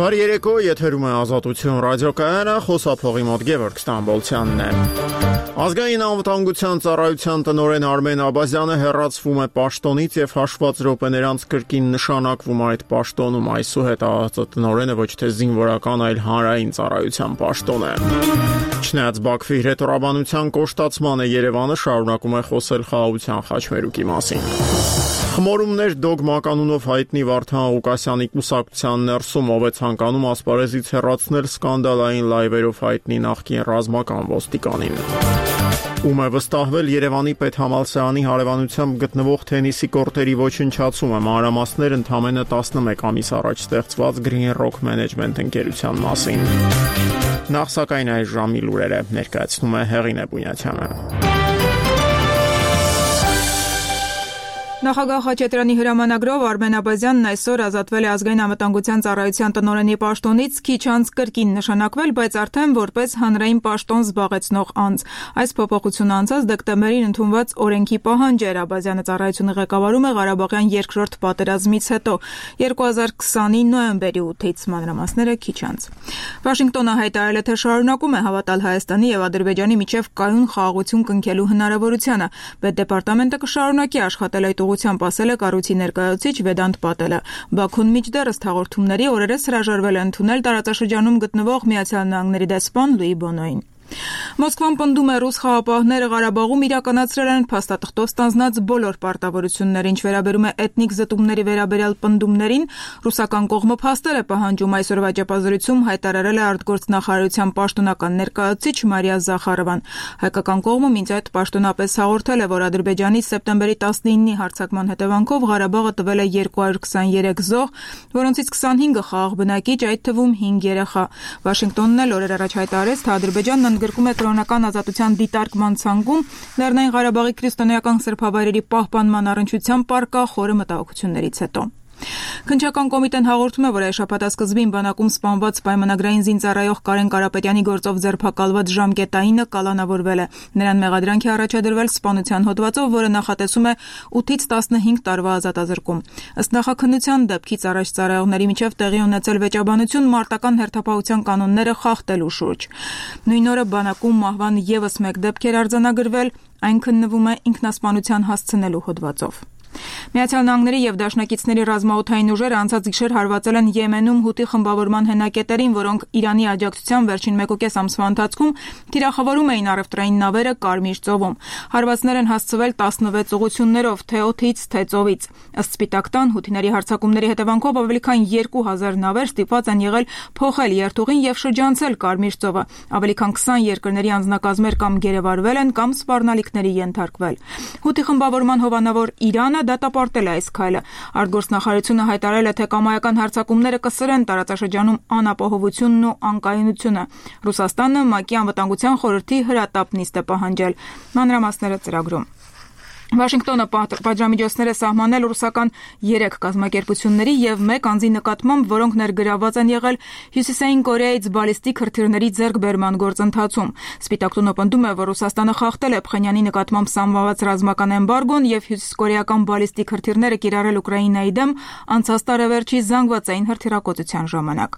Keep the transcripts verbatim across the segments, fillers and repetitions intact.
Բարի երեկո, եթերում է Ազատություն ռադիոկայանը, խոսափողի մոտ Գևորգ Ստամբոլցյանն է։ Ազգային անվտանգության ծառայության տնօրեն Արմեն Աբազյանը հեռացվում է պաշտոնից եւ հաշված րոպեներ անց կրկին նշանակվում այդ պաշտոնում։ Այսուհետ ԱԱԾ տնօրենը ոչ թե զինվորական, այլ հանրային ծառայության պաշտոն է։ Չնայած Բաքվի հրետորաբանության կոշտացմանը Երևանը շարունակում է խոսել խաղաղության խաչմերուկի մասին։ Խմորումներ դոգմա կանունով հայտնի Վարդան Ղուկասյանի կուսակցության ներսում, ով է ցանկանում ասպարեզից հեռացնել սկանդալային լայվերով հայտնի նախկին ռազմական ոստիկանին։ Ում է վստահվել Երևանի պետհամալսարանի հարևանությամբ գտնվող թենիսի կորտերի ոչնչացումը, մանրամասներ ընդամենը տասնմեկ ամիս առաջ ստեղծված Green Rock Management ընկերության մասին։ Նախ սակայն այս ժամի լուրերը ներկայացնում է Հեղինե Բունյացյանը։ Նախագահ Խաչատրյանի հրամանագրով Արմեն Աբազյանն այսօր ազատվել է ազգային անվտանգության ծառայության տնօրենի պաշտոնից, քիչ անց կրկին նշանակվել, բայց արդեն որպես հանրային պաշտոն զբաղեցնող անձ։ Այս փոփոխությունը անցած դեկտեմբերին ընդունված օրենքի պահանջ էր։ Աբազյանը ծառայությունը ղեկավարում է Ղարաբաղյան երկրորդ պատերազմից հետո, երկու հազար քսանի նոյեմբերի ութից, մանրամասները քիչ անց։ Վաշինգտոնը հայտարարել է, թե շարունակում է հավատալ Հայաստանի եւ Ադրբեջանի միջև կայուն խաղաղություն կնքելու հնարավորությանը։ Պետդեպարտամենտը կշարունակի աշխատել այդ ուղղությամբ, ասել է կառույցի ներկայացուցիչ Վեդանտ Պատելը։ Բաքուն մինչդեռ հաղորդումների օրերս հրաժարվել է ընդունել տարածաշրջանում գտնվող Միացյալ Նահանգների դեսպան Լուի Բոնոին։ Մոսկվան պնդում է, ռուս խաղապահները Ղարաբաղում իրականացրել են փաստաթղթով ստանձնած բոլոր պարտավորությունները, ինչ վերաբերում է էթնիկ զտումների վերաբերյալ պնդումներին, ռուսական կողմը փաստեր է պահանջում, այսօրվա ճեպազրույցում հայտարարել է արտգործնախարարության պաշտոնական ներկայացուցիչ Մարիա Զախարովան։ Հայկական կողմը մինչ այդ պաշտոնապես հաղորդել է, որ Ադրբեջանի սեպտեմբերի տասնինի հարձակման հետևանքով Ղարաբաղը տվել է երկու հարյուր քսաներեք զոհ, որոնցից քսանհինգը խաղաղ բնակիչ, այդ թվում հինգ երեխա։ Վաշինգտոնն էլ օրեր առաջ հայտարարեց, թե Ադրբեջանն գրկում է կրոնական ազատության դիտարկման ցանկում, Լեռնային Ղարաբաղի քրիստոնեական սրբավայրերի պահպանման առնչությամբ պառկա խորը մտահոգություններից հետո։ Քննչական կոմիտեն հաղորդում է, որ այս շաբաթ սկզբին բանակում սպանված պայմանագրային զինծառայող Կարեն Կարապետյանի գործով ձերբակալված ժամկետայինը կալանավորվել է։ Նրան մեղադրանք է առաջադրվել սպանության հոդվածով, որը նախատեսում է ութից տասնհինգ տարվա ազատազրկում։ Ըստ նախաքննության դեպքից առաջ ծառայողների միջև տեղի ունեցել վեճաբանություն մարտական հերթապահության կանոնները խախտելու շուրջ։ Նույն օրը բանակում մահվան ևս մեկ դեպք էր արձանագրվել, այն քննվում է ինքնասպանության հասցնելու հոդվածով։ Միացյալ Նահանգների եւ Դաշնակիցների ռազմաօդային ուժերը անցած գիշեր հարվածել են Եմենում Հութի խմբավորման հենակետերին, որոնք Իրանի աջակցությամբ վերջին մեկուկես ամսվա ընթացքում թիրախավորում էին առևտրային նավերը Կարմիր ծովում։ Հարվածներ են հասցվել տասնվեց ուղղություններով, թե օդից, թե ծովից։ Ըստ Սպիտակ տան, հութիների հարձակումների հետևանքով ավելի քան երկու հազար նավեր ստիպված են եղել փոխել երթուղին եւ շրջանցել Կարմիր ծովը։ Ավելի քան քսան երկրների անձնակազմեր կամ գերեվարվել են, կամ սպառնալիքների ենթարկվել։ Հութի խմբավորման հովանավոր Իրանը դատապարտել է այս քայլը։ Արտգործնախարարությունը հայտարարել է, թե կամայական հարձակումները կսրեն տարածաշրջանում անապահովությունն ու անկայունությունը։ Ռուսաստանը ՄԱԿ-ի անվտանգության խորհրդի հրատապ նիստ է պահանջել։ Մանրամասները ծրագրում։ Վաշինգտոնը պատժամիջոցներ է սահմանել ռուսական երեք կազմակերպությունների եւ մեկ անձի նկատմամբ, որոնք ներգրավված են եղել Հյուսիսային Կորեայից բալիստիկ հրթիռների ձեռքբերման գործընթացում։ Սպիտակ տունը պնդում է, որ Ռուսաստանը խախտել է Փխենյանի նկատմամբ սահմանված ռազմական էմբարգոն եւ հյուսիսկորեական բալիստիկ հրթիռները կիրառել Ուկրաինայի դեմ անցած տարեվերջի զանգվածային հրթիռակոծության ժամանակ։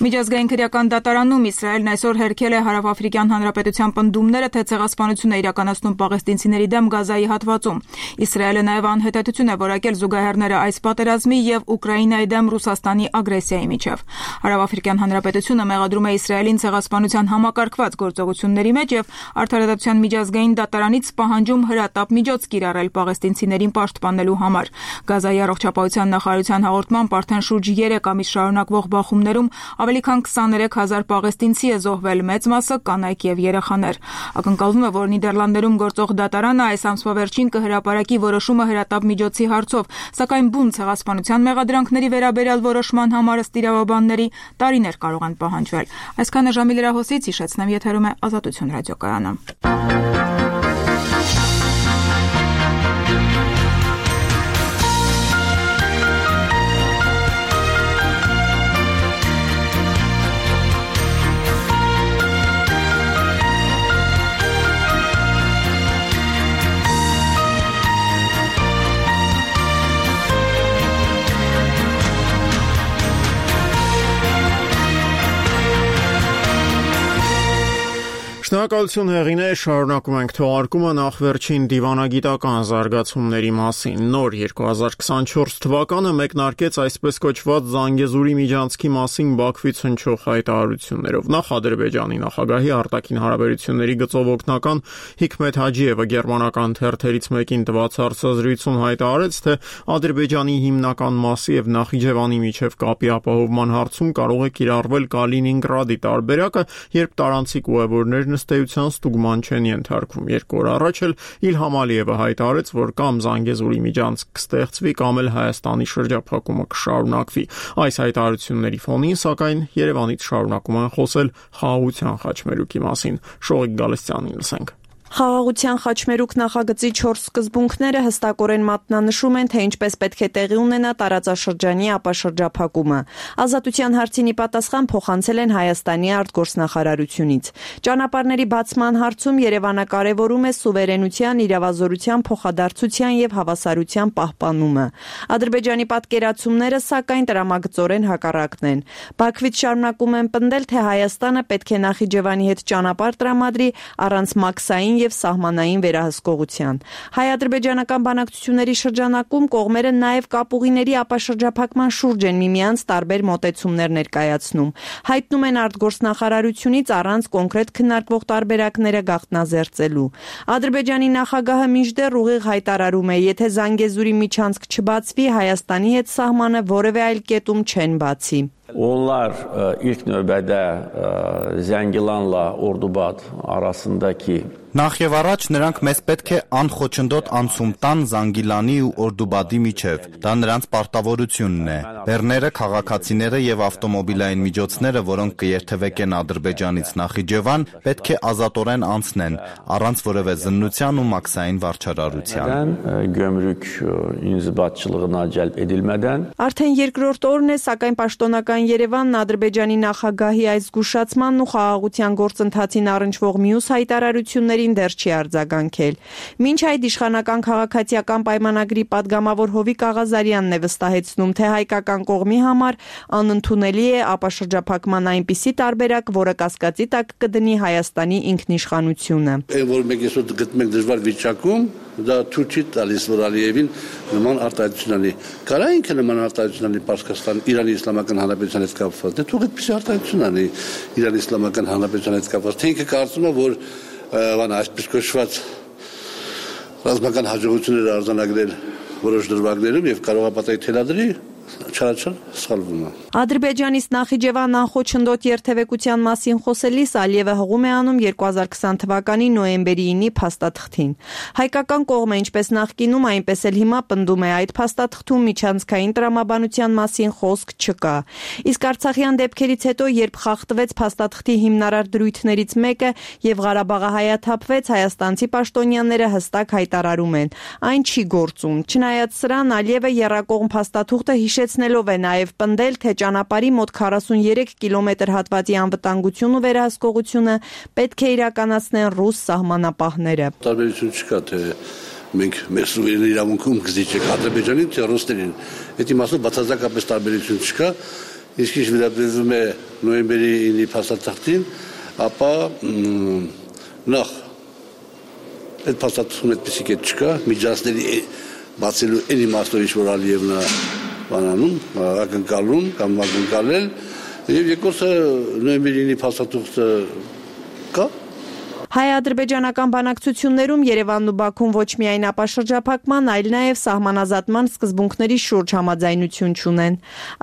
Միջազգային քրեական դատարանում Իսրայելն այսօր հերքել է Հարավաֆրիկյան Հանրապետության պնդումները, թե ցեղասպանություն է իրականացնում պաղեստինցիների դեմ Գազայի հատվածում։ Իսրայելը նաև անհետեցություն է որակել զուգահեռները այս պատերազմի եւ Ուկրաինայի դեմ Ռուսաստանի ագրեսիայի միջև։ Հարավաֆրիկյան Հանրապետությունը մեղադրում է Իսրայելին ցեղասպանության համակարգված գործողությունների մեջ եւ Արդարադատության միջազգային դատարանից պահանջում հրատապ միջոց կիրառել պաղեստինցիներին պաշտպանելու համար։ Գազայի առողջապահության նախարարության հաղորդմամբ արդեն շուրջ երեք ամիս շարունակվող բախումներում ավելի քան քսաներեք հազար պաղեստինցի է զոհվել, մեծ մասը կանայք եւ երեխաներ։ Ակնկալվում է, որ Նիդերլանդերում գործող դատարանը այս ամսվա վերջին հրապարակի որոշումը հրատապ միջոցի հարցով, սակայն բուն ցեղասպանության մեղադրանքների վերաբերյալ որոշման համար ըստ իրավաբանների տարիներ կարող են պահանջվել։ Այսքանը ժամի լրահոսից հիշեցնեմ, եթերում է Ազատություն ռադիոկայանը։ Շնորհակալություն հեղինե, շարունակում ենք թողարկումը նախ վերջին դիվանագիտական զարգացումների մասին։ Նոր երկու հազար քսանչորս թվականը մեկնարկեց այսպես կոչված Զանգեզուրի միջանցքի մասին Բաքվից հնչող հայտարարություններով։ Նախ Ադրբեջանի նախագահի արտաքին հարաբերությունների գծով օգնական Հիկմետ Հաջիևը գերմանական թերթերից մեկին տված հարցազրույցում հայտարարեց, թե Ադրբեջանի հիմնական մասի եւ Նախիջևանի միջև կապի ապահովման հարցում կարող է կիրառվել Կալինինգրադի տարբերակը, երբ տարանցիկ ուղևորներ ըստ ստուգման չեն ենթարկվում։ Երկու օր առաջ էլ Իլհամ Ալիևը հայտարարեց, որ կամ Զանգեզուրի միջանցք կստեղծվի, կամ էլ Հայաստանի շրջափակումը կշարունակվի։ Այս հայտարարությունների ֆոնին, սակայն, Երևանից շարունակում են խոսել խաղաղության խաչմերուկի մասին։ Շողիկ Գալստյանին լսենք։ Խաղաղության խաչմերուկ նախագծի չորս սկզբունքները հստակորեն մատնանշում են, թե ինչպես պետք է տեղի ունենա տարածաշրջանի ապաշրջափակումը։ Ազատության հարցին ի պատասխան փոխանցել են Հայաստանի արտգործնախարարությունից։ Ճանապարհների բացման հարցում Երևանը կարևորում է սուվերենության, իրավազորության, փոխադարձության եւ հավասարության պահպանումը։ Ադրբեջանի պատկերացումները, սակայն, տրամագծորեն հակառակն են։ Բաքվից շարունակում են պնդել, թե Հայաստանը պետք է Նախիջևանի հետ ճանապարհ տրամադրի առանց մաքսային եւ սահմանային վերահսկողության։ Հայ-ադրբեջանական բանակցությունների շրջանակում կողմերը նաեւ կապուղիների ապաշրջափակման շուրջ են միմյանց տարբեր մոտեցումներ ներկայացնում։ Հայտնում են արտգործնախարարությունից առանց կոնկրետ քննարկվող տարբերակները գաղտնազերծելու։ Ադրբեջանի նախագահը մինչդեռ ուղիղ հայտարարում է, եթե Զանգեզուրի միջանցք չբացվի, Հայաստանի հետ սահմանը որևէ այլ կետում չեն բացի։ Onlar ilk növbədə Zəngilanla Ordubad arasındakı Նախ եւ առաջ նրանք մեզ պետք է անխոչնդոտ անցում տան Զանգիլանի ու Օրդուբադի միջև։ Դա նրանց պարտավորությունն է։ Բեռները, քաղաքացիները եւ ավտոմոբիլային միջոցները, որոնք կերթևեկեն Ադրբեջանից Նախիջևան, պետք է ազատորեն անցնեն, առանց որևէ զննության ու մաքսային վարչարարության։ Gömrük inzibatçılığına cəlb edilmədən Արդեն երկրորդ օրն է, սակայն պաշտոնական Երևանն Ադրբեջանի նախագահի այս զգուշացմանն ու խաղաղության գործընթացին առնչվող մյուս հայտարարություններին դեռ չի արձագանքել։ Մինչ այդ իշխանական քաղաքացիական պայմանագրի падգամավոր Հովիկ Աղազարյանն է վստահեցնում, թե հայկական կողմի համար անընդունելի է ապաշրջափակման այնպիսի տարբերակ, որը կասկածի տակ կդնի Հայաստանի ինքնիշխանությունը։ Որ մենք այսօր գտնենք դժվար վիճակում, դա ցույց չի տալիս, որ Ալիևին նման արտահայտություն անի։ Կարա ինքը նման արտահայտություն անի Պարսկաստան, Իրանի Իսլամական Հանրապետության հետ կապված։ Դե թող այդպիսի արտահայտություն անի Իրանի Իսլամական Հանրապետության հետ կապված։ Թե ինքը կարծում է, որ բան այսպես կոչված ռազմական հաջողություններ արձանագրել որոշ դրվագներում եւ կարող է պատահի թելադրի, չարաչար սխալվում է։ Ադրբեջանից Նախիջևան անխոչնդոտ երթևեկության մասին խոսելիս Ալիևը հղում է անում երկու հազար քսան թվականի նոյեմբերի ինի փաստաթղթին։ Հայկական կողմը ինչպես նախկինում, այնպես էլ հիմա պնդում է, այդ փաստաթղթում միջանցքային տրամաբանության մասին խոսք չկա։ Իսկ Արցախյան դեպքերից հետո, երբ խախտվեց փաստաթղթի հիմնարար դրույթներից մեկը եւ Ղարաբաղը հայաթափվեց, հայաստանցի պաշտոնյաները հստակ հայտարարում են, այն չի գործում։ Չնայած սրան, Ալիևը եռակողմ փաստաթուղթը հիշեցնելով է նաև պնդել, թե ճանապարհի մոտ քառասուններեք կիլոմետր հատվածի անվտանգություն ու վերահսկողությունը պետք է իրականացնեն ռուս սահմանապահները։ Տարբերություն չկա, թե մենք մեր սուվերեն իրավունքում գզիչեք Ադրբեջանին, թե ռուսներին։ Այդ իմաստով բացարձակապես տարբերություն չկա։ Իսկ ինչ վերաբերում է նոյեմբերի ինի փաստաթղթին, ապա նախ այդ փաստաթղթում այդպիսի կետ չկա, միջանցքների բացելու այն իմաստով ինչ որ Ալիևն է բանանում, ակնկալում կամ ակնկալել, եւ երկրորդը նոյեմբերի ինի փաստաթուղթը կա։ Հայ-ադրբեջանական բանակցություններում Երևանն ու Բաքուն ոչ միայն ապաշրջափակման, այլ նաև սահմանազատման սկզբունքների շուրջ համաձայնություն չունեն։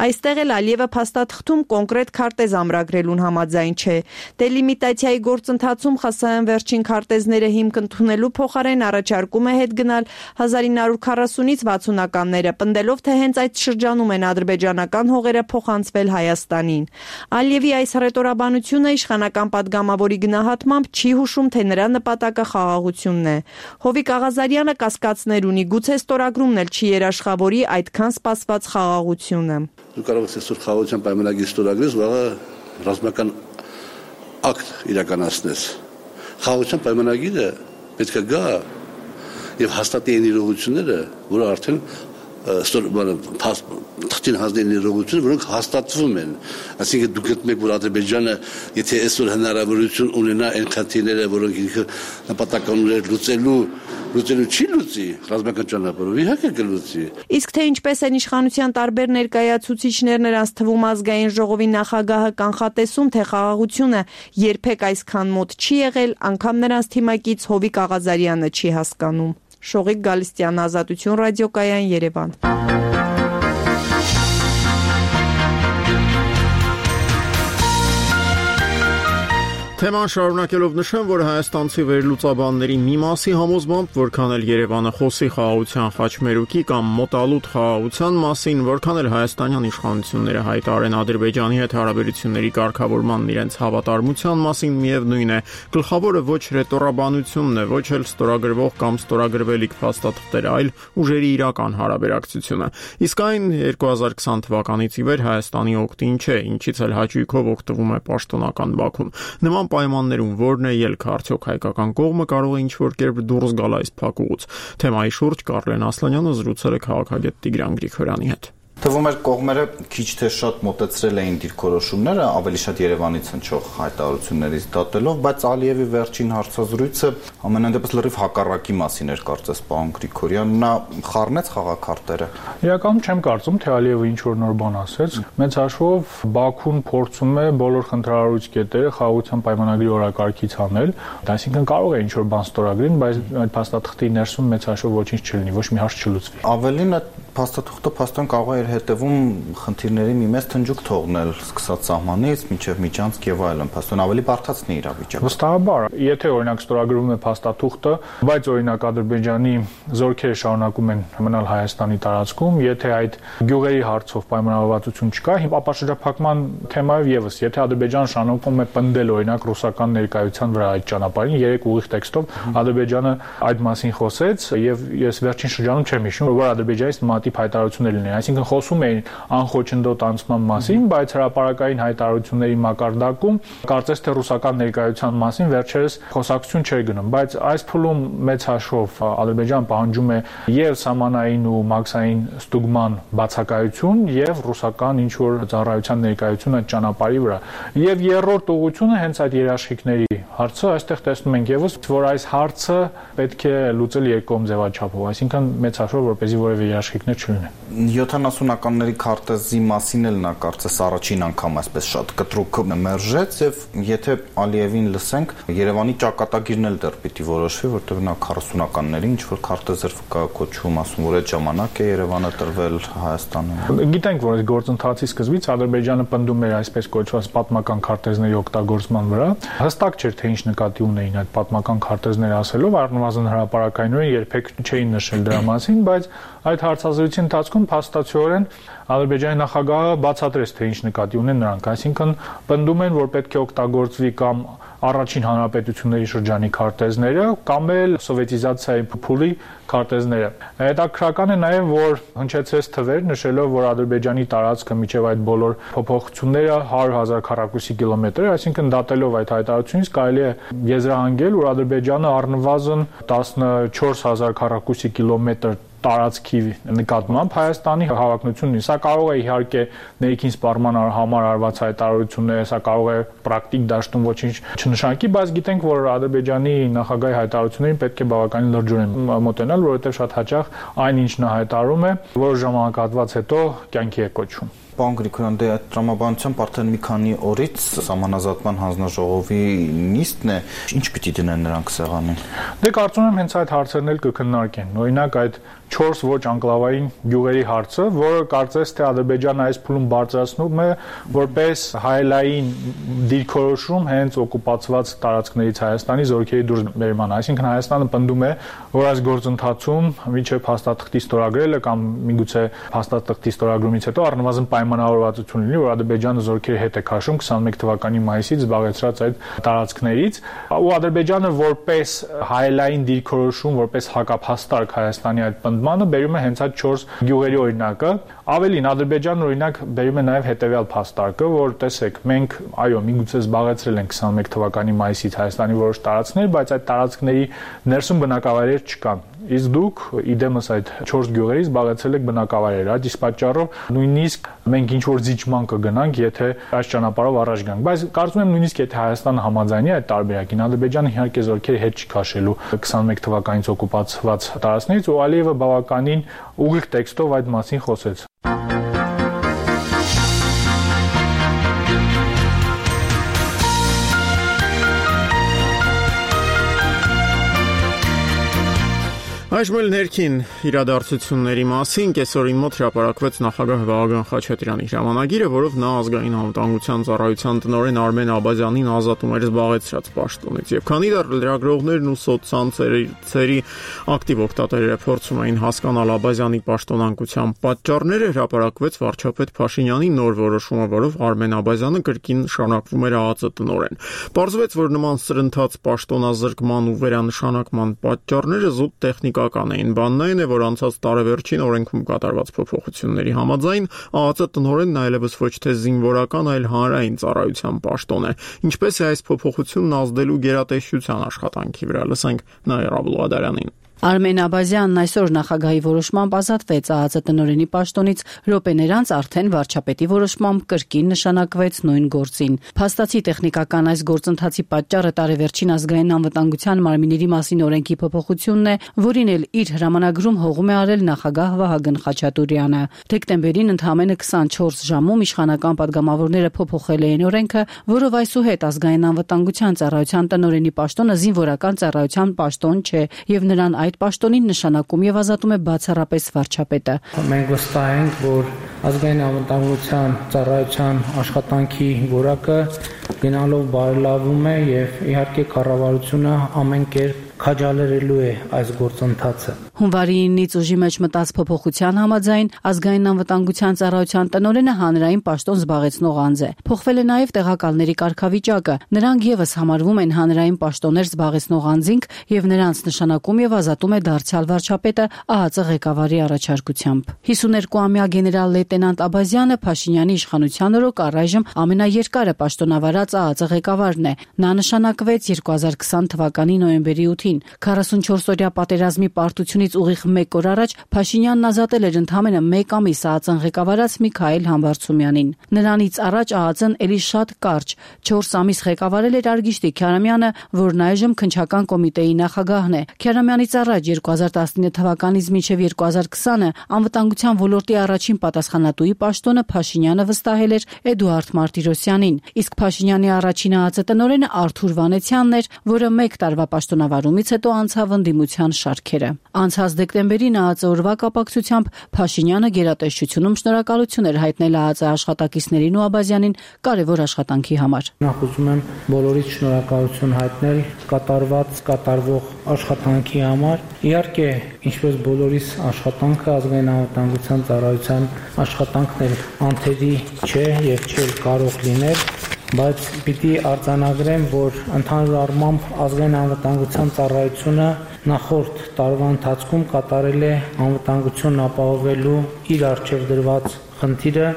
Այստեղ էլ Ալիևը փաստաթղթում կոնկրետ քարտեզ ամրագրելուն համաձայն չէ։ Դելիմիտացիայի գործընթացում ԽՍՀՄ վերջին քարտեզները հիմք ընդունելու փոխարեն առաջարկում է հետ գնալ հազար ինը հարյուր քառասունից վաթսունականները, պնդելով, թե հենց այդ շրջանում են ադրբեջանական հողերը փոխանցվել Հայաստանին։ Ալիևի այս հռետորաբանությունը իշխանական падգամավորի գնահատմամբ չի հուշում, թե նրա նպատակը խաղաղությունն է։ Հովիկ Աղազարյանը կասկածներ ունի, գուցե ստորագրումն էլ չի երաշխավորի այդքան սպասված խաղաղությունը։ Դու կարող ես այսօր խաղաղության պայմանագիր ստորագրես, վաղը ռազմական ակտ իրականացնես։ Խաղաղության պայմանագիրը պետք է գա եւ հաստատի այն իրողությունները, որը արդեն թղթին հանձնեն իրողություն, որոնք հաստատվում են։ Այսինքն դուք գտնում եք, որ Ադրբեջանը, եթե այսօր հնարավորություն ունենա այն խնդիրները, որոնք ինքը նպատակ ունի լուծելու, լուծելու չի լուծի, ռազմական ճանապարհով իհարկե կլուծի։ Իսկ թե ինչպես են իշխանության տարբեր ներկայացուցիչներ նրանց թվում ազգային ժողովի նախագահը կանխատեսում, թե խաղաղությունը երբեք այսքան մոտ չի եղել, անգամ նրանց թիմակից Հովիկ Աղազարյանը չի հասկանում։ Շողիկ Գալստյան, Ազատություն ռադիոկայան, Երևան։ Թեման շարունակելով նշեմ, որ հայաստանցի վերլուծաբանների մի մասի համոզմամբ, որքան էլ Երևանը խոսի խաղաղության խաչմերուկի կամ մոտալուտ խաղաղության մասին, որքան էլ հայաստանյան իշխանությունները հայտարարեն Ադրբեջանի հետ հարաբերությունների կարգավորման իրենց հավատարմության մասին, միևնույն է, գլխավորը ոչ ռետորաբանությունն է, ոչ էլ ստորագրվող կամ ստորագրվելիք փաստաթղթերը, այլ ուժերի իրական հարաբերակցությունը։ Իսկ այն երկու հազար քսան թվականից ի վեր Հայաստանի օգտին չէ, ինչից էլ հաճույքով օգտվում է պաշտոնական Բաքուն։ Նման պայմաններում որն է ելքը, արդյոք հայկական կողմը կարող է ինչ-որ կերպ դուրս գալ այս փակուղուց։ Թեմայի շուրջ Կարլեն Ասլանյանը զրուցել է քաղաքագետ Տիգրան Գրիգորյանի հետ։ Թվում էր կողմերը քիչ թե շատ մոտեցրել էին դիրքորոշումները, ավելի շատ Երևանից հնչող հայտարարություններից դատելով, բայց Ալիևի վերջին հարցազրույցը ամենայն դեպս լրիվ հակառակի մասին էր, կարծես պարոն Գրիգորյան, նա խառնեց խաղաքարտերը։ Իրականում չեմ կարծում, թե Ալիևը ինչ-որ նոր բան ասեց։ Մեծ հաշվով Բաքուն փորձում է բոլոր խնդրահարույց կետերը խաղաղության պայմանագրի օրակարգից հանել, այսինքն կարող է ինչ-որ բան ստորագրին, բայց այդ փաստաթղթի ներսում մեծ հաշվով ոչինչ չլինի, ոչ մի հարց չլուծվի։ Ավելին այդ փաստաթղթը փաստորեն կարող է հետևում խնդիրների մի մեծ թնջուկ թողնել, սկսած սահմանից մինչև միջանցք եւ այլն, փաստորեն ավելի բարդացնի իրավիճակը։ Վստահաբար, եթե օրինակ ստորագրվում է փաստաթուղթը, բայց օրինակ Ադրբեջանի զորքերը շարունակում են մնալ Հայաստանի տարածքում, եթե այդ գյուղերի հարցով պայմանավորվածություն չկա, ապա շրջափակման թեմայով եւս, եթե Ադրբեջանը շարունակում է պնդել օրինակ ռուսական ներկայության վրա այդ ճանապարհին, երեք ուղիղ տեքստով Ադրբեջանը այդ մասին խոսեց եւ ես վերջին շրջանում չեմ հիշում, որ Ադրբեջանից նմանատիպ հայտարարություններ լինեն, այսինքն խոսում էին անխոչնդոտ անցման մասին, բայց հրապարակային հայտարարությունների մակարդակում կարծես թե ռուսական ներկայության մասին վերջերս խոսակցություն չէր գնում, բայց այս փուլում մեծ հաշվով Ադրբեջանը պահանջում է եւ սահմանային ու մաքսային ստուգման բացակայություն եւ ռուսական ինչ որ ծառայության ներկայություն այդ ճանապարհի վրա։ Եվ երրորդ ուղղությունը հենց այդ երաշխիքների հարցը, այստեղ տեսնում ենք եւս, որ այս հարցը պետք է լուծել երկկողմ ձևաչափով, այսինքն մեծ հաշվով որպեսզի որևէ երաշխիքներ չլինեն։ յոթանասունականների քարտեզի մասին էլ նա կարծես առաջին անգամ այսպես շատ կտրուկ մերժեց եւ եթե Ալիևին լսենք, Երևանի ճակատագիրն էլ դեռ պիտի որոշվի, որտեղ նա քառասունականների ինչ որ քարտեզեր կա կոչվում, ասում որ այդ ժամանակ է Երևանը տրվել Հայաստանին։ Գիտենք, որ այս գործընթացի սկզբից Ադրբեջանը պնդում էր այսպես կոչված պատմական քարտեզների օգտագործման վրա։ Հստակ չէր, թե ինչ նկատի ունեին այդ պատմական քարտեզները ասելով, առնվազն հրապարակայինորեն երբեք չէին նշել դրա մասին, բայց այդ հարցազրույցի ընթացքում փաստացիորեն Ադրբեջանի նախագահը բացատրեց, թե ինչ նկատի ունեն նրանք, այսինքն պնդում են, որ պետք է օգտագործվի կամ առաջին հանրապետությունների շրջանի քարտեզները կամ էլ սովետիզացիայի փուլի քարտեզները։ Հետաքրքրական է նաև, որ հնչեցրեց թվեր, նշելով, որ Ադրբեջանի տարածքը միջև այդ բոլոր փոփոխությունները հարյուր հազար քառակուսի կիլոմետր, այսինքն դատելով այդ հայտարարությունից կարելի է եզրահանգել, որ Ադրբեջանը առնվազն տասնչորս հազար քառակուսի կիլոմետր տարածքի նկատմամբ Հայաստանի հավակնությունն է։ Սա կարող է իհարկե ներքին սպառման համար արված հայտարարություններ, սա կարող է պրակտիկ դաշտում ոչինչ չնշանակի, բայց գիտենք, որ Ադրբեջանի նախագահի հայտարարություններին պետք է բավականին լրջորեն մոտենալ, որովհետև շատ հաճախ այն ինչ նա հայտարարում է, որոշ ժամանակահատված հետո կյանքի է կոչվում։ Պարոն Գրիգորյան, դե այդ տրամաբանությամբ արդեն մի քանի օրից Սահմանազատման հանձնաժողովի նիստն է, ինչ պիտի դնեն նրանք սեղանին։ Դե կարծում եմ հենց այդ հարցերն էլ կքննարկեն։ Օրինակ այդ չորս ոչ անկլավային գյուղերի հարցը, որը կարծես թե Ադրբեջանը այս փուլում բարձրացնում է որպես հայելային դիրքորոշում հենց օկուպացված տարածքներից Հայաստանի զորքերի դուրսբերման։ Այսինքն Հայաստանը պնդում է, որ այս գործընթացում միջև փաստաթղթի ստորագրելը կամ միգուցե փաստաթղթի ստորագրումից հետո առնվազն պայմանավորվածություն լինի, որ Ադրբեջանը զորքերի հետ է քաշում քսանմեկ թվականի մայիսից զբաղեցրած այդ տարածքներից, ու Ադրբեջանը որպես հայելային դիրքորոշում, որպես հակափաստարկ Հայաստանի այդ պնդմանը բերում է հենց այդ չորս գյուղերի օրինակը։ Ավելին, Ադրբեջանն օրինակ բերում է նաև հետևյալ փաստարկը, որ տեսեք, մենք այո, միգուցե զբաղեցրել ենք քսանմեկ թվականի մայիսից Հայաստանի որոշ տարածքներ, բայց այդ տարածքների ներսում բնակավայրեր չկան։ իսկ դուք իդեմս այդ չորս գյուղերից զբաղեցել եք բնակավայրեր, այդ իսկ պատճառով նույնիսկ մենք ինչ որ զիջման կգնանք, եթե այս ճանապարհով առաջ գանք, բայց կարծում եմ նույնիսկ եթե Հայաստանը համաձայնի այդ տարբերակին, Ադրբեջանը իհարկե զորքերի հետ չի քաշելու քսանմեկ թվականից օկուպացված տարածքներից, ու Ալիևը բավականին ուղիղ տեքստով այդ մասին խոսեց։ Այժմ էլ ներքին իրադարձությունների մասին կեսօրին մոտ հրապարակվեց նախագահ Վահագն Խաչատրյանի հրամանագիրը, որով նա ազգային անվտանգության ծառայության տնօրեն Արմեն Աբազյանին ազատում էր զբաղեցրած պաշտոնից։ Եվ քանի դեռ լրագրողներն ու սոցցանցերի ակտիվ օգտատերերը փորձում էին հասկանալ Աբազյանի պաշտոնանկության պատճառները, հրապարակվեց վարչապետ Փաշինյանի նոր որոշումը, որով Արմեն Աբազյանը կրկին նշանակվում էր ԱԱԾ տնօրեն։ Պարզվեց, որ նման սրընթաց պաշտոնազրկման ու վերանշանակման պատճառները զուտ տեխնիկ Էին բանն այն է, որ անցած տարեվերջին օրենքում կատարված փոփոխությունների համաձայն ԱԱԾ տնօրենն այլևս ոչ թե զինվորական, այլ հանրային ծառայության պաշտոն է։ Ինչպես է այս փոփոխությունն ազդելու գերատեսչության աշխատանքի վրա, լսենք Նաիրա Բլուադարյանին։ Արմեն Աբազյանն այսօր նախագահի որոշմամբ ազատվեց ԱԱԾ տնօրենի պաշտոնից, րոպեներ անց արդեն վարչապետի որոշմամբ կրկին նշանակվեց նույն գործին։ Փաստացի տեխնիկական այս գործընթացի պատճառը տարեվերջին ազգային անվտանգության մարմինների մասին օրենքի փոփոխությունն է, որին էլ իր հրամանագրում հողում է արել նախագահ Վահագն Խաչատուրյանը։ Դեկտեմբերին ընդամենը քսանչորս ժամում իշխանական падգամավորները փոփոխել էին օրենքը, որով այսուհետ ազգային անվտանգության ծառայության տնօրենի պաշտոնը զինվորական ծառայության պաշտոն չէ, եւ նրան այդ պաշտոնին նշանակում եւ ազատում է բացառապես վարչապետը։ Մենք վստահ ենք, որ ազգային անվտանգության ծառայության աշխատանքի որակը գնալով բարելավում է եւ իհարկե կառավարությունը ամեն կերպ քաջալերելու է այս գործընթացը։ Հունվարի իննից ուժի մեջ մտած փոփոխության համաձայն ազգային անվտանգության ծառայության տնօրենը հանրային պաշտոն զբաղեցնող անձ է։ Փոխվել է նաև տեղակալների կարգավիճակը։ Նրանք եւս համարվում են հանրային պաշտոններ զբաղեցնող անձինք եւ նրանց նշանակում եւ ազատում է դարձյալ վարչապետը ԱԱԾ ղեկավարի առաջարկությամբ։ հիսուներկուամյա գեներալ լեյտենանտ Աբազյանը Փաշինյանի իշխանության օրոք առայժմ ամենաերկարը պաշտոնավարած ԱԱԾ ղեկավարն է։ Նա նշանակվեց երկու հազար քսան թվականի նոյեմբերի ութին։ քառասունչորս-օրյա պատերազմի պարտությունից ուղիղ մեկ օր առաջ Փաշինյանն ազատել էր ընդամենը մեկ ամիս ԱԱԾ-ն ղեկավարած Միքայել Համբարձումյանին։ Նրանից առաջ ԱԱԾ-ն էլի շատ կարճ չորս ամիս ղեկավարել էր Արգիշտի Քյարամյանը, որն այժմ քննչական կոմիտեի նախագահն է։ Քյարամյանից առաջ երկու հազար տասնինը թվականից մինչև երկու հազար քսանը անվտանգության ոլորտի առաջին պատասխանատուի պաշտոնը Փաշինյանը վստահել էր Էդուարդ Մարտիրոսյանին, իսկ Փաշինյանի առաջին ԱԱԾ տնօրենը Արթուր Վանեցյանն էր, որը մեկ տարվա պաշտոնավարումից հետո անցավ ընդդիմության շարքերը։ Անցած դեկտեմբերին ԱԱԾ օրվա կապակցությամբ Փաշինյանը գերատեսչությունում շնորհակալություն էր հայտնել ԱԱԾ աշխատակիցներին ու Աբազյանին կարևոր աշխատանքի համար։ Նախ ուզում եմ բոլորից շնորհակալություն հայտնել կատարված, կատարվող աշխատանքի համար։ Իհարկե, ինչպես բոլորիս աշխատանքը ազգային անվտանգության ծառայության աշխատանքն էլ անթերի չէ եւ չէ կարող լինել, բայց պիտի արձանագրեմ, որ ընդհանուր առմամբ ազգային անվտանգության ծառայությունը նախորդ տարվա ընթացքում կատարել է անվտանգությունն ապահովելու իր առջև դրված խնդիրը։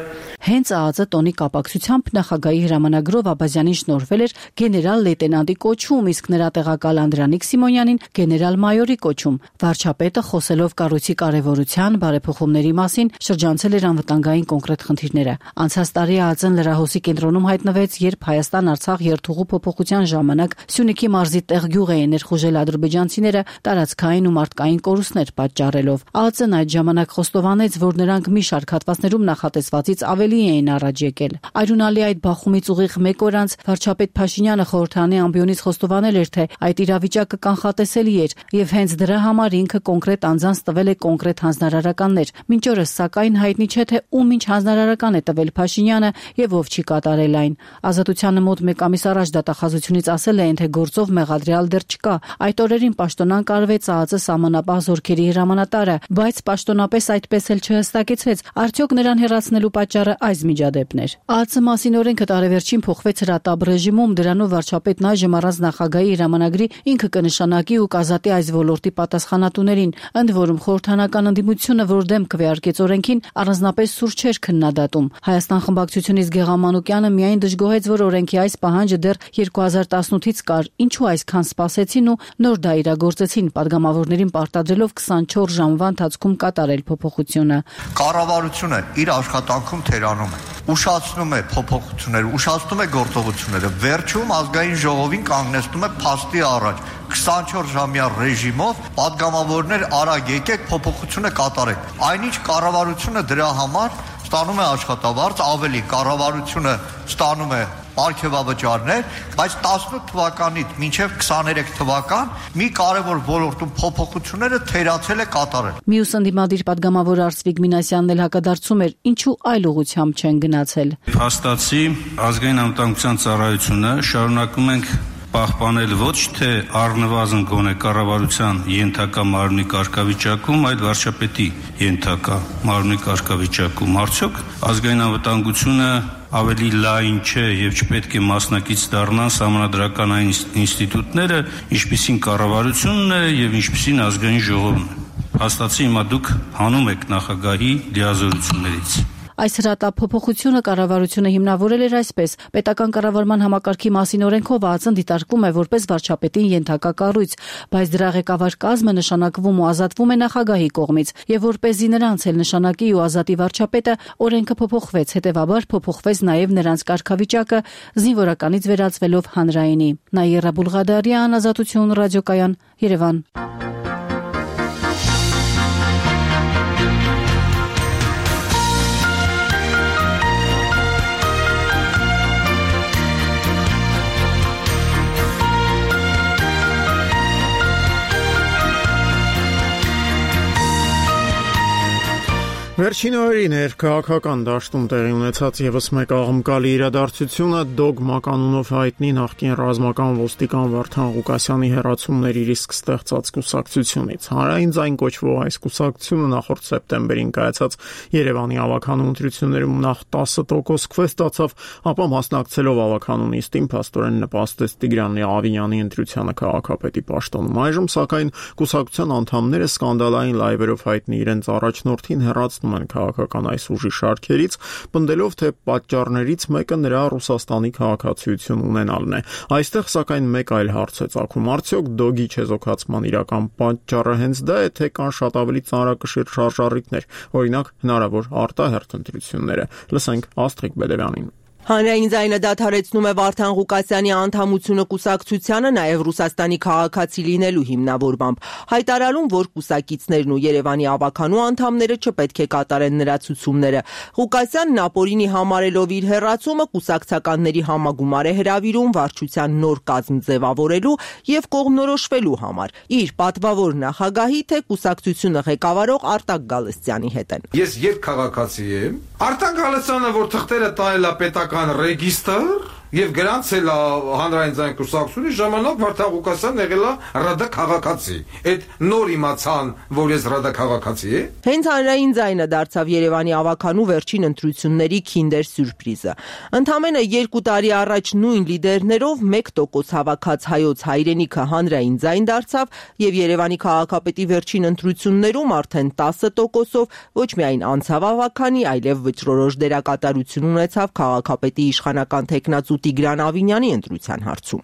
Հենց ԱԱԾ տոնի կապակցությամբ նախագահի հրամանագրով Աբազյանին շնորհվել էր գեներալ լեյտենանտի կոչում, իսկ նրա տեղակալ Անդրանիկ Սիմոնյանին գեներալ-մայորի կոչում։ Վարչապետը խոսելով կառույցի կարևորության, բարեփոխումների մասին շրջանցել էր անվտանգային կոնկրետ խնդիրները։ Անցած տարի ԱԱԾ-ն լրահոսի կենտրոնում հայտնվեց, երբ Հայաստան-Արցախ երթուղու փոփոխության ժամանակ Սյունիքի մարզի տեղ գյուղ էին ներխուժել ադրբեջանցիները տարածքային ու մարդկային կորուստներ պատճառելով։ ԱԱԾ-ն այդ ժամանակ խոստովանեց, որ նրանք մի շարք հատվածներում նախատեսվածից ավելի էին առաջ եկել։ Այրունալի այդ բախումից ուղիղ մեկ օր անց վարչապետ Փաշինյանը խորհրդարանի ամբիոնից խոստովանել էր, թե այդ իրավիճակը կանխատեսելի էր եւ հենց դրա համար ինքը կոնկրետ անձանց տվել է կոնկրետ հանձնարարականներ։ Մինչ օրս սակայն հայտնի չէ, թե ում ինչ հանձնարարական է տվել Փաշինյանը եւ ով չի կատարել այն։ Ազատությանը մոտ մեկ ամիս առաջ դատախազությունից ասել էին, թե գործով մեղադրյալ դեռ չկա։ Այդ օրերին պաշտոնան կարվեց ԱԱԾ սահմանապահ զորքերի հրամանատարը, բայց պաշտոնապես այդպես էլ չհստակեցվեց։ Արդյոք նրան հեռացնելու պատճառը այս միջադեպն էր։ ԱԱՑ մասին օրենքը տարեվերջին փոխվեց հրատապ ռեժիմում, դրանով վարչապետն այժմ առանց նախագահի հրամանագրի ինքը կնշանակի ու կազատի այս ոլորտի պատասխանատուներին, ընդ որում խորհրդանական ընդդիմությունը, որ դեմ քվեարկեց օրենքին, առանձնապես սուր չէր քննադատում։ Հայաստան խմբակցությունից Գեղամ Մանուկյանը միայն դժգոհեց, որ օրենքի այս պահանջը դեռ երկու հազար տասնութից կար, ինչու այսքան սպասեցին ու նոր դա իրագործեցին, падգամավորներին պարտադրելով քսանչորս ժամվա ընթացքում կատարել փոփոխությունը։ Կառավարությունը իր աշխատանքում թերանում է, ուշացնում է փոփոխությունները, ուշացնում է գործողությունները, վերջում ազգային ժողովին կանգնեցնում է փաստի առաջ քսանչորս ժամյա ռեժիմով падգամավորներ արագ եկեք փոփոխությունը կատարեք։ Այնինչ կառավարությունը դրա համար ստանում է աշխատավարձ, ավելի կառավարությունը ստանում է պարգևավճարներ, բայց տասնութ թվականից մինչև քսաներեք թվական մի կարևոր ոլորտում փոփոխությունները թերացել է կատարել։ Մյուս ընդդիմադիր падգամավոր Արծվիկ Մինասյանն էլ հակադարձում էր, ինչու այլ ուղղությամբ չեն գնացել։ Փաստացի ազգային անվտանգության ծառայությունը շարունակում ենք պահպանել ոչ թե առնվազն գոնե կառավարության ենթակա մարմնի կարգավիճակում, այլ վարչապետի ենթակա մարմնի կարգավիճակում։ Արդյոք ազգային անվտանգությունը ավելի լայն չէ եւ չպետք է մասնակից դառնան սահմանադրական այն ինստիտուտները, ինչպիսին կառավարությունն է եւ ինչպիսին ազգային ժողովն է։ Հաստատի հիմա դուք հանում եք նախագահի լիազորություններից։ Այս հրատապ փոփոխությունը կառավարությունը հիմնավորել էր այսպես. պետական կառավարման համակարգի մասին օրենքով ԱԱՑ-ն դիտարկվում է որպես վարչապետին ենթակա կառույց, բայց դրա ղեկավար կազմը նշանակվում ու ազատվում է նախագահի կողմից, եւ որպեսզի նրանց էլ նշանակի ու ազատի վարչապետը, օրենքը փոփոխվեց, հետեւաբար փոփոխվեց նաեւ նրանց կարգավիճակը, զինվորականից վերածվելով հանրայինի։ Նաիրա Բուլղադարյան, Ազատություն ռադիոկայան, Երևան։ Վերջին օրերին էր քաղաքական դաշտում տեղի ունեցած եւս մեկ աղմկալի իրադարձությունը դոգմա կանոնով հայտնի նախկին ռազմական ոստիկան Վարդան Ղուկասյանի հեռացումների ռիսկ ստեղծած կուսակցությունից։ Հանրային ձայն կոչվող այս կուսակցությունը նախորդ սեպտեմբերին կայացած Երևանի ավականու ընտրություններում նախ տասը տոկոս քվե ստացավ, ապա մասնակցելով ավականու նիստին փաստորեն նպաստեց Տիգրան Ավինյանի ընտրությանը քաղաքապետի պաշտոնում։ Այժմ սակայն կուսակցության անդամները սկանդալային լայվերով հայտնի իրենց առաջնորդին հեռացնում են քաղաքական այս ուժի շարքերից, պնդելով, թե պատճառներից մեկը նրա Ռուսաստանի քաղաքացիություն ունենալն է։ Այստեղ սակայն մեկ այլ հարց է ծագում. արդյոք դոգի չեզոքացման իրական պատճառը հենց դա է, թե կան շատ ավելի ծանրակշիռ շարժառիթներ, օրինակ հնարավոր արտահերթ ընտրությունները։ Լսենք Աստղիկ Բեդևյանին։ Հանրային ձայնը դադարեցնում է Վարդան Ղուկասյանի անդամությունը կուսակցությանը նաև Ռուսաստանի քաղաքացի լինելու հիմնավորմամբ, հայտարարում, որ կուսակիցներն ու Երևանի ավականու անդամները չպետք է կատարեն նրա ցուցումները։ Ղուկասյանն ապօրինի համարելով իր հեռացումը կուսակցականների համագումար է հրավիրում վարչության նոր կազմ ձևավորելու եւ կողմնորոշվելու համար։ Իր պատվավոր նախագահի թե կուսակցությունը ղեկավարող Արտակ Գալստյանի հետ են։ Ես երբ քաղաքացի եմ, Արտակ Գալստյանը, որ թղթերը տայել է պետական ռեգիստր եւ գրանցել է հանրային ձայն կուսակցությունի ժամանակ Վարդան Ղուկասյանն եղել է ՌԴ քաղաքացի։ Այդ նոր իմացան, որ ես ՌԴ քաղաքացի եմ։ Հենց հանրային ձայնը դարձավ Երևանի ավականու վերջին ընտրությունների քինդեր սյուրպրիզը։ Ընդամենը երկու տարի առաջ նույն լիդերներով մեկ տոկոս հավաքած հայոց հայրենիքը հանրային ձայն դարձավ եւ Երևանի քաղաքապետի վերջին ընտրություններում արդեն տասը տոկոսով ոչ միայն անցավ ավականի, այլև վճռորոշ դերակատարություն ունեցավ քաղաքապետի իշխանական տեխնացու Տիգրան Ավինյանի ընտրության հարցում։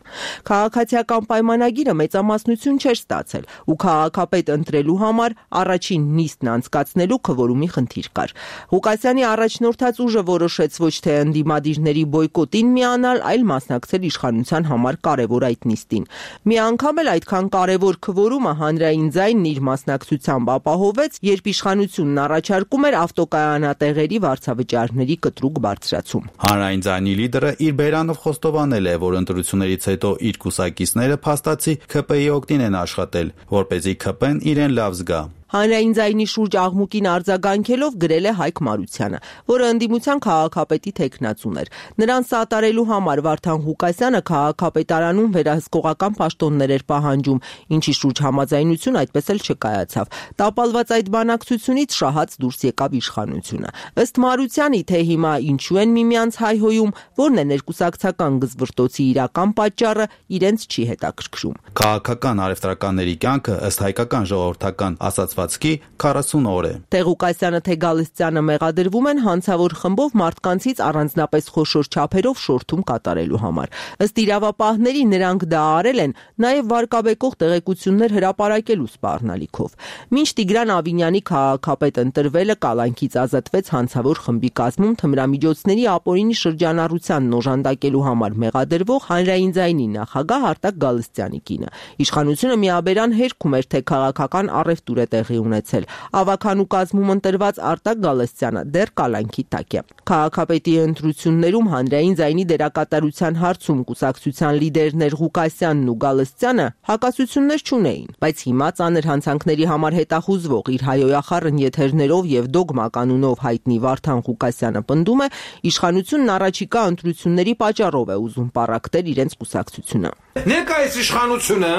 Քաղաքացիական պայմանագիրը մեծամասնություն չէր ստացել ու քաղաքապետ ընտրելու համար առաջին նիստն անցկացնելու քվորումի խնդիր կար։ Ղուկասյանի առաջնորդած ուժը որոշեց ոչ թե ընդդիմադիրների բոյկոտին միանալ, այլ մասնակցել իշխանության համար կարևոր այդ նիստին։ Մի անգամ էլ այդքան կարևոր քվորումը հանրային ձայնն իր մասնակցությամբ ապահովեց, երբ իշխանությունն առաջարկում էր ավտոկայանատեղերի վարձավճարների կտրուկ բարձրացում։ Հանրային ձայնի լիդերը իր բերանով խոստովանել է, որ ընտրություններից հետո իր կուսակիցները փաստացի ՔՊ-ի օգտին են աշխատել, որպեսզի ՔՊ-ն իրեն լավ զգա։ Հանրային ձայնի շուրջ աղմուկին արձագանքելով գրել է Հայկ Մարությանը, որը ընդդիմության քաղաքապետի թեկնածուն էր։ Նրան սատարելու համար Վարդան Ղուկասյանը քաղաքապետարանում վերահսկողական պաշտոններ էր պահանջում, ինչի շուրջ համաձայնություն այդպես էլ չկայացավ։ Տապալված այդ բանակցությունից շահած դուրս եկավ իշխանությունը։ Ըստ Մարությանի, թե հիմա ինչու են միմյանց հայհոյում, որն է ներկուսակցական գզվրտոցի իրական պատճառը, իրենց չի հետաքրքրում։ Քաղաքական առևտրականների կյանքը ըստ հայկական ժողովրդական ասացվածքի քառասուն օր է։ Թե Ղուկասյանը, թե Գալստյանը մեղադրվում են հանցավոր խմբով մարդկանցից առանձնապես խոշոր չափերով շորթում կատարելու համար։ Ըստ իրավապահների նրանք դա արել են նաև վարկաբեկող տեղեկություններ հրապարակելու սպառնալիքով։ Մինչ Տիգրան Ավինյանի քաղաքապետ ընտրվելը կալանքից ազատվեց հանցավոր խմբի կազմում թմրամիջոցների ապօրինի շրջանառությանն օժանդակելու համար մեղադրվող Հանրային ձայնի նախագահ Արտակ Գալստյանի կինը։ Իշխանությունը միաբերան հերքում էր, թե քաղաքական առևտուր է տեղի ունեցել։ Ավագանու կազմում ընտրված Արտակ Գալստյանը դեռ կալանքի տակ է։ Քաղաքապետի ընտրություններում Հանրային ձայնի դերակատարության հարցում կուսակցության լիդերներ Ղուկասյանն ու Գալստյանը հակասություններ չունեին, բայց հիմա ծանր հանցանքների համար հետախուզվող իր հայոյախառն եթերներով եւ դոգմա կանունով հայտնի Վարդան Ղուկասյանը պնդում է, իշխանությունն առաջիկա ընտրությունների պատճառով է ուզում պառակտել իրենց կուսակցությունը։ Ներկայիս իշխանությունը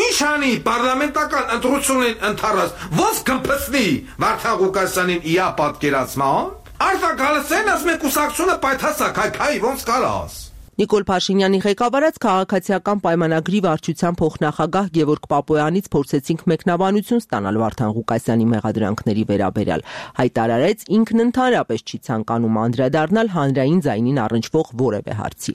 ինչ անի պարլամենտական ընտրությունին ընթառած ոնց կմփսնի Վարդան Ղուկասյանին իա պատկերացման Արտակ Գալստյանն ասում է կուսակցությունը պայթասակ հայ ոնց կարաս Նիկոլ Փաշինյանի ղեկավարած քաղաքացիական պայմանագրի վարչության փոխնախագահ Գևորգ Պապոյանից փորձեցինք մեկնաբանություն ստանալ Վարդան Ղուկասյանի մեղադրանքների վերաբերյալ։ Հայտարարեց ինքն ընդհանրապես չի ցանկանում անդրադառնալ հանրային ձայնին առնչվող որևէ հարցի։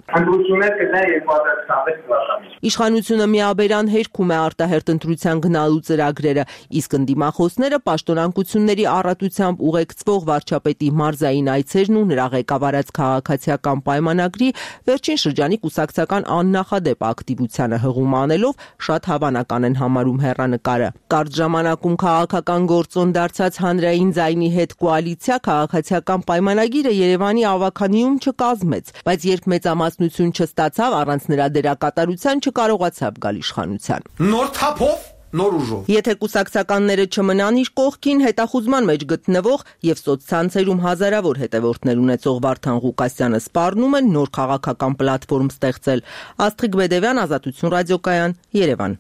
Իշխանությունը միաբերան հերքում է արտահերտ ընտրության գնալու ծրագրերը, իսկ ընդդիմախոսները պաշտոնանկությունների առատությամբ ուղեկցվող վարչապետի մարզային այցերն ու նրա ղեկավարած քաղաքացիական պայմանագրի վերջին շրջանի կուսակցական աննախադեպ ակտիվությանը հղում անելով շատ հավանական են համարում հեռանկարը։ Կարճ ժամանակում քաղաքական գործոն դարձած Հանրային ձայնի հետ կոալիցիա քաղաքացիական պայմանագիրը Երևանի ավագանիում չկազմեց, բայց երբ մեծամասնություն չստացավ, առանց նրա դերակատարության չկարողացավ գալ իշխանության։ Նոր թափով նոր ուժով։ Եթե կուսակցականները չմնան իր կողքին, հետախուզման մեջ գտնվող եւ սոցցանցերում հազարավոր հետևորդներ ունեցող Վարդան Ղուկասյանը սպառնում են նոր քաղաքական պլատֆորմ ստեղծել։ Աստղիկ Բեդևյան, Ազատություն ռադիոկայան, Երևան։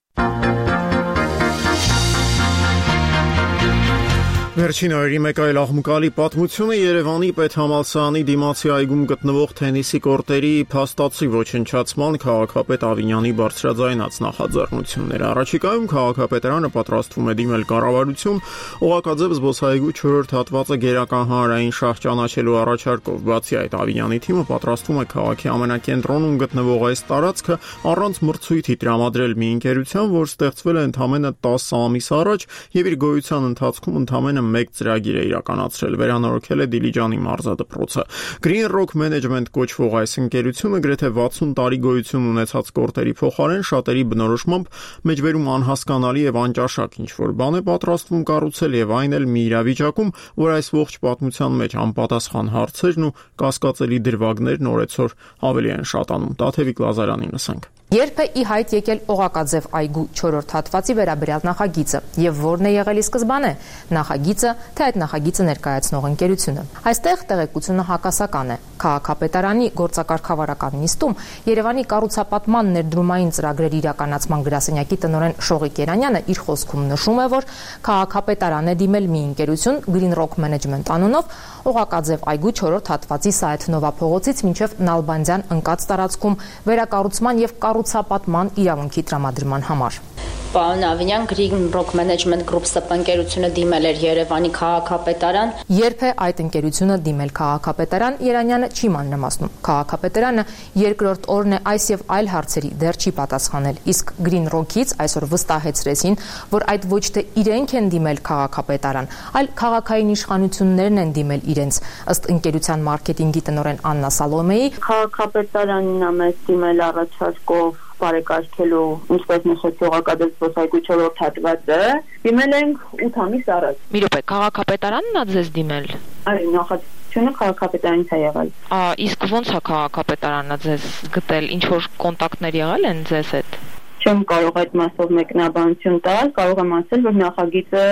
Վերջին օրերի մեկ այլ աղմուկալի պատմությունը Երևանի պետհամալսարանի դիմացի այգում գտնվող թենիսի կորտերի փաստացի ոչնչացման քաղաքապետ Ավինյանի բարձրաձայնած նախաձեռնությունները։ Առաջիկայում քաղաքապետարանը պատրաստվում է դիմել կառավարություն օղակաձև զբոսայգու չորրորդ հատվածը գերական հանրային շահ ճանաչելու առաջարկով։ Բացի այդ, Ավինյանի թիմը պատրաստվում է քաղաքի ամենակենտրոնում գտնվող այս տարածքը առանց մրցույթի տրամադրել մի ընկերության, որ ստեղծվել է ընդամենը տասը ամիս առաջ եւ իր գոյության ընթացքում ընդամենը մեկ ծրագիր է իրականացրել, վերանորոգել է Դիլիջանի մարզադպրոցը։ Green Rock Management կոչվող այս ընկերությունը գրեթե վաթսուն տարի գոյություն ունեցած կորտերի փոխարեն շատերի բնորոշմամբ մեջբերում անհասկանալի եւ անճաշակ ինչ-որ բան է պատրաստվում կառուցել եւ այն էլ մի իրավիճակում, որ այս ողջ պատմության մեջ անպատասխան հարցերն ու կասկածելի դրվագներն օրեցօր ավելի են շատանում։ Տաթևիկ Լազարանին լսենք։ Երբ է ի հայտ եկել Օղակաձև այգու չորրորդ հատվածի վերաբերյալ նախագիծը եւ որն է եղել ի սկզբանե նախագիծը, թե այդ նախագիծը ներկայացնող ընկերությունը։ Այստեղ տեղեկությունը հակասական է։ Քաղաքապետարանի գործակարգավարական նիստում Երևանի կառուցապատման ներդրումային ծրագրերի իրականացման գրասենյակի տնօրեն Շողիկ Երանյանը իր խոսքում նշում է, որ քաղաքապետարան է դիմել մի ընկերություն Green Rock Management անունով Օղակաձև այգու չորրորդ հատվածի Սայաթնովա փողոցից մինչև Նալբանդյան ընկած տարածքում վերակառուցման եւ կառուցապատման իրավունքի տրամադրման համար։ Պարոն Ավինյան, Green Rock Management Group ՍՊ ընկերությունը դիմել էր Երևանի քաղաքապետարան։ Երբ է այդ ընկերությունը դիմել քաղաքապետարան, Երանյանը չի մանրամասնում։ Քաղաքապետարանը երկրորդ օրն է այս եւ այլ հարցերի դեռ չի պատասխանել, իսկ Green Rock-ից այսօր վստահեցրեցին, որ այդ ոչ թե իրենք են դիմել քաղաքապետարան, այլ քաղաքային իշխանություններն են դիմել իրենց։ Ըստ ընկերության մարքեթինգի տնօրեն Աննա Սալոմեի, քաղաքապետարանն է մեզ դիմել առաջարկով բարեկարգելու, ինչպես նշեցի, Օղակաձև զբոսայգու չորրորդ հատվածը, դիմել ենք ութ ամիս առաջ։ Մի րոպե, քաղաքապետարանն է ձեզ դիմել։ Այո, նախաձեռնությունը քաղաքապետարանից է եղել։ Ա, իսկ ո՞նց է քաղաքապետարանը ձեզ գտել, ինչ որ կոնտակտներ եղել են ձեզ հետ։ Չեմ կարող այդ մասով մեկնաբանություն տալ, կարող եմ ասել, որ նախագիծը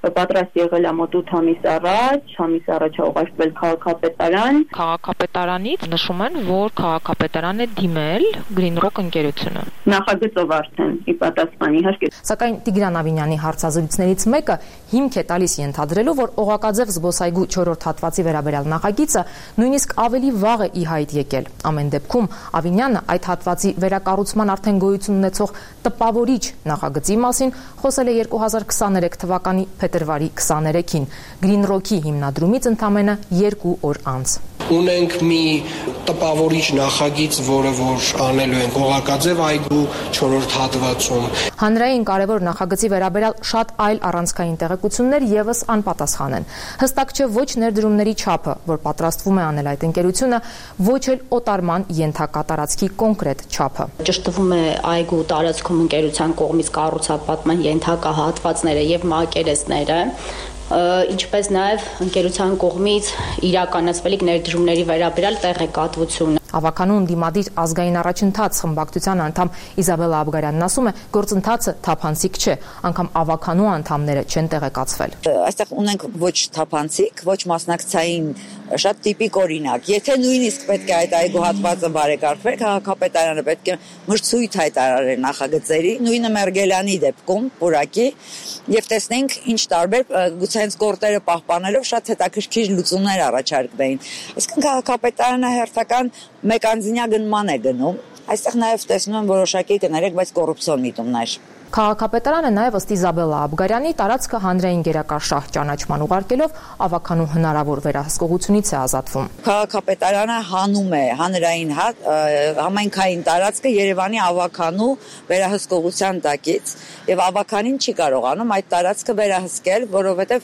պատրաստ եղել է մոտ ութ ամիս առաջ, ամիս առաջ է ուղարկվել քաղաքապետարան։ Քաղաքապետարանից նշում են, որ քաղաքապետարան է դիմել Green Rock ընկերությունը։ Նախագծով արդեն ի պատասխան իհարկե։ Սակայն Տիգրան Ավինյանի հարցազրույցներից մեկը հիմք է տալիս ենթադրելու, որ Օղակաձև զբոսայգու չորրորդ հատվածի վերաբերյալ նախագիծը նույնիսկ ավելի վաղ է ի հայտ եկել։ Ամեն դեպքում Ավինյանը այդ հատվածի վերակառուցման արդեն գոյություն ունեցող տպավորիչ նախագծի մասին խոսել է երկու հազար քսաներեք թվականի փետրվարի քսաներեքին Green Rock-ի հիմնադրումից ընդամենը երկու օր անց։ Ունենք մի տպավորիչ նախագիծ, որը որ անելու ենք Օղակաձև այգու չորրորդ հատվածում։ Հանրային կարևոր նախագծի վերաբերյալ շատ այլ առանցքային տեղեկություններ եւս անպատասխան են։ Հստակ չէ ոչ ներդրումների չափը, որ պատրաստվում է անել այդ ընկերությունը, ոչ էլ օտարման ենթակա տարածքի կոնկրետ չափը։ Ճշտվում է այգու տարածքում ընկերության կողմից կառուցապատման ենթակա հատվածները եւ մակերեսները, ինչպես նաև ընկերության կողմից իրականացվելիք ներդրումների վերաբերյալ տեղեկատվություն։ Ավականու ընդդիմադիր ազգային առաջընթաց խմբակցության անդամ Իզաբելլա Աբգարյանն ասում է, գործընթացը թափանցիկ չէ, անգամ ավականու անդամները չեն տեղեկացվել։ Այստեղ ունենք ոչ թափանցիկ, ոչ մասնակցային շատ տիպիկ օրինակ։ Եթե նույնիսկ պետք է այդ այգու հատվածը բարեկարգվեր, քաղաքապետարանը պետք է մրցույթ հայտարարեր նախագծերի, նույնը Մերգելյանի դեպքում, Պուրակի, եւ տեսնենք ինչ տարբեր գուցե հենց կորտերը պահպանելով շատ հետաքրքիր լուծումներ առաջարկվեին։ Այսինքն քաղաքապետարանը հերթական մեկ-անձնյա գնման է գնում։ Այստեղ նաև տեսնում եմ որոշակի կներեք, բայց կոռուպցիոն միտումներ։ Քաղաքապետարանը նաև ըստ Իզաբելլա Աբգարյանի տարածքը հանրային գերակաշահ ճանաչման ուղարկելով ավականու հնարավոր վերահսկողությունից է ազատվում։ Քաղաքապետարանը հանում է հանրային համայնքային տարածքը Երևանի ավականու վերահսկողության տակից եւ ավականին չի կարողանում այդ տարածքը վերահսկել, որովհետեւ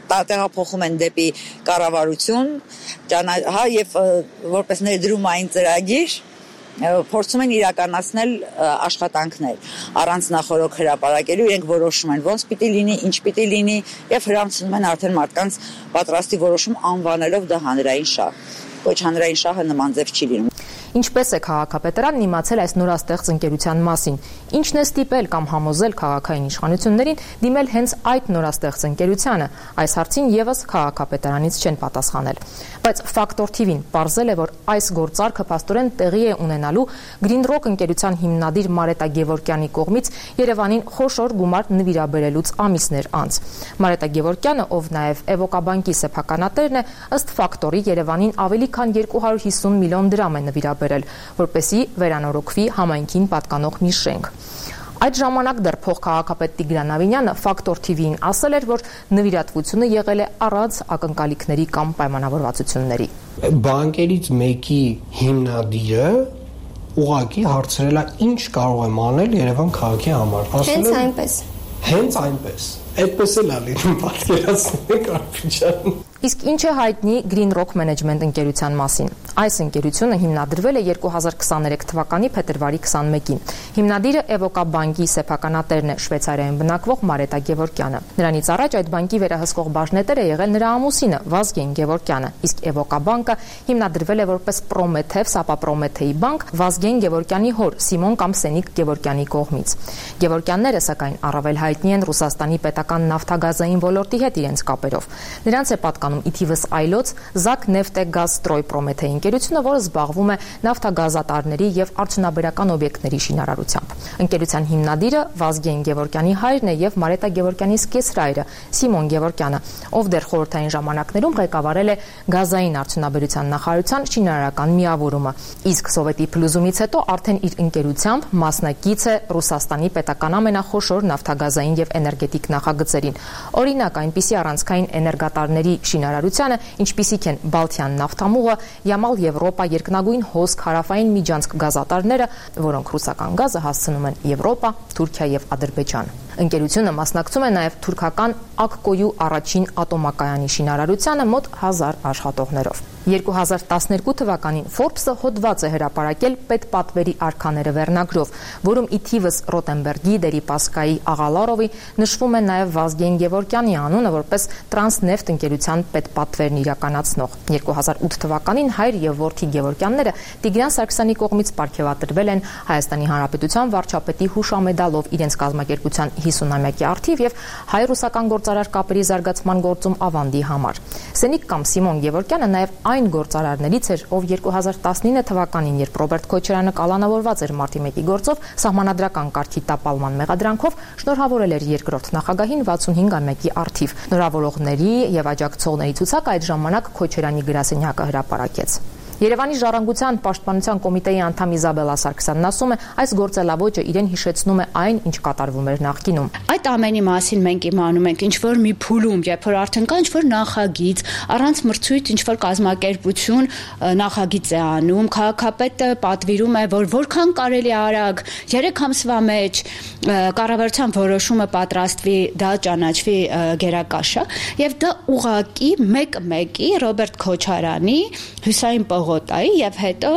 տեղափոխում են դեպի կառավարություն, հա եւ որպես ներդրումային ծրագիր փորձում են իրականացնել աշխատանքներ առանց նախորոք հրապարակելու, իրենք որոշում են ոնց պիտի լինի, ինչ պիտի լինի եւ հրամցնում են արդեն մարդկանց պատրաստի որոշում անվանելով դա հանրային շահ։ Ոչ հանրային շահը նման ձև չի լինում։ Ինչպես է քաղաքապետարանն իմացել այս նորաստեղծ ընկերության մասին, ինչն է ստիպել կամ համոզել քաղաքային իշխանություններին դիմել հենց այդ նորաստեղծ ընկերությանը, այս հարցին եւս քաղաքապետարանից չեն պատասխանել։ Բայց Factor T V-ն պարզել է, որ այս գործարքը փաստորեն տեղի է ունենալու Green Rock ընկերության հիմնադիր Մարետա Գևորգյանի կողմից Երևանին խոշոր գումար նվիրաբերելուց ամիսներ անց։ Մարետա Գևորգյանը, ով նաեւ Էվոկաբանկի սեփականատերն է, ըստ Factor-ի Երևանին ավելի քան երկու հարյուր հիսուն միլիոն դրամ է նվիրաբերել, որպեսզի վերանորոգվի համայնքին պատկանող մի շենք։ Այդ ժամանակ դեռ փոխքաղաքապետ Տիգրան Ավինյանը Factor T V-ին ասել էր, որ նվիրատվությունը եղել է առանց ակնկալիքների կամ պայմանավորվածությունների։ Բանկերից մեկի հիմնադիրը ուղղակի հարցրել է ինչ կարող եմ անել Երևան քաղաքի համար։ Հենց այնպես։ Հենց այնպես։ Այդպես էլ ալի պատկերացնեք Արփիջան։ Իսկ ինչ է հայտնի Green Rock Management ընկերության մասին։ Այս ընկերությունը հիմնադրվել է երկու հազար քսաներեք թվականի փետրվարի քսանմեկին։ Հիմնադիրը Էվոկաբանկի սեփականատերն է Շվեյցարիայում բնակվող Մարետա Գևորգյանը։ Նրանից առաջ այդ բանկի վերահսկող բաժնետեր է եղել նրա ամուսինը Վազգեն Գևորգյանը, իսկ Էվոկաբանկը հիմնադրվել է որպես Պրոմեթև Սապապրոմեթեի բանկ Վազգեն Գևորգյանի հոր Սիմոն կամ Սենիկ Գևորգյանի կողմից։ Գևորգյանները սակայն առավել հայտնի են Ռուսաստանի պետական նավթագազային ոլորտի հետ իրենց կապերով։ Նրանց է պատկանում ի թիվս այլոց Զակ Նեֆտեգազստրոյ Պրոմեթեի ընկերությունը, որը զբաղվում է նավթագազատարների եւ արդյունաբերական օբյեկտների շինարարությամբ։ Ընկերության հիմնադիրը Վազգեն Գևորգյանի հայրն է եւ Մարետա Գևորգյանի սկեսրայրը Սիմոն Գևորգյանը, ով դեռ խորհրդային ժամանակներում ղեկավարել է գազային արդյունաբերության նախարարության շինարարական միավորումը, իսկ սովետի փլուզումից հետո արդեն իր ընկերությամբ մասնակից է Ռուսաստանի պետական ամենախոշոր նավթագազային եւ էներգետիկ նախագծերին։ Օրինակ, այնպիսի առանցքային էներգատարների շինարարությանը, ինչպիսիք են Բալթյան նավթամուղը, Յամալ Եվրոպա երկնագույն հոսք հարավային միջանցք գազատարները, որոնք ռուսական գազը հասցնում են Եվրոպա, Թուրքիա եւ Ադրբեջան։ Ընկերությունը մասնակցում է նաեւ թուրքական Ակկոյու առաջին ատոմակայանի շինարարությանը մոտ հազար աշխատողներով։ երկու հազար տասներկու թվականին Forbes-ը հոդված է հրապարակել պետպատվերի արքաները վերնագրով, որում ի թիվս Ռոտենբերգի, Դերիպասկայի, Աղալարովի նշվում է նաև Վազգեն Գևորգյանի անունը որպես Տրանսնեֆտ ընկերության պետպատվերն իրականացնող։ երկու հազար ութ թվականին հայր եւ որդի Գևորգյանները Տիգրան Սարգսյանի կողմից պարգևատրվել են Հայաստանի Հանրապետության վարչապետի հուշամեդալով իրենց կազմակերպության հիսունամյակի առթիվ եւ հայ-ռուսական գործարար կապերի զարգացման գործում ավանդի համար։ Սենիկ կամ Սիմոն Գևորգյանը նաև այն գործարարներից էր, ով երկու հազար տասնինը թվականին, երբ Ռոբերտ Քոչարյանը կալանավորված էր մարտի մեկի գործով, սահմանադրական կարգի տապալման մեղադրանքով շնորհավորել էր երկրորդ նախագահին վաթսունհինգամյակի առթիվ։ Նորավորողների եւ աջակցողների ցուցակը այդ ժամանակ Քոչարյանի գրասենյակը հրապարակեց։ Երևանի ժառանգության պաշտպանության կոմիտեի անդամ Իզաբելա Սարգսյանն ասում է, այս գործելավոճը իրեն հիշեցնում է այն, ինչ կատարվում էր նախկինում։ Այդ ամենի մասին մենք իմանում ենք ինչ որ մի փուլում, երբ որ արդեն կա ինչ որ նախագիծ, առանց մրցույթ ինչ որ կազմակերպություն նախագիծ է անում, քաղաքապետը պատվիրում է, որ որքան կարելի արագ երեք ամսվա մեջ կառավարության որոշումը պատրաստվի, դա ճանաչվի գերակաշը, եւ դա ուղղակի մեկ-մեկի Ռոբերտ Քոչարյանի, Հյուսային Պողոտայի եւ հետո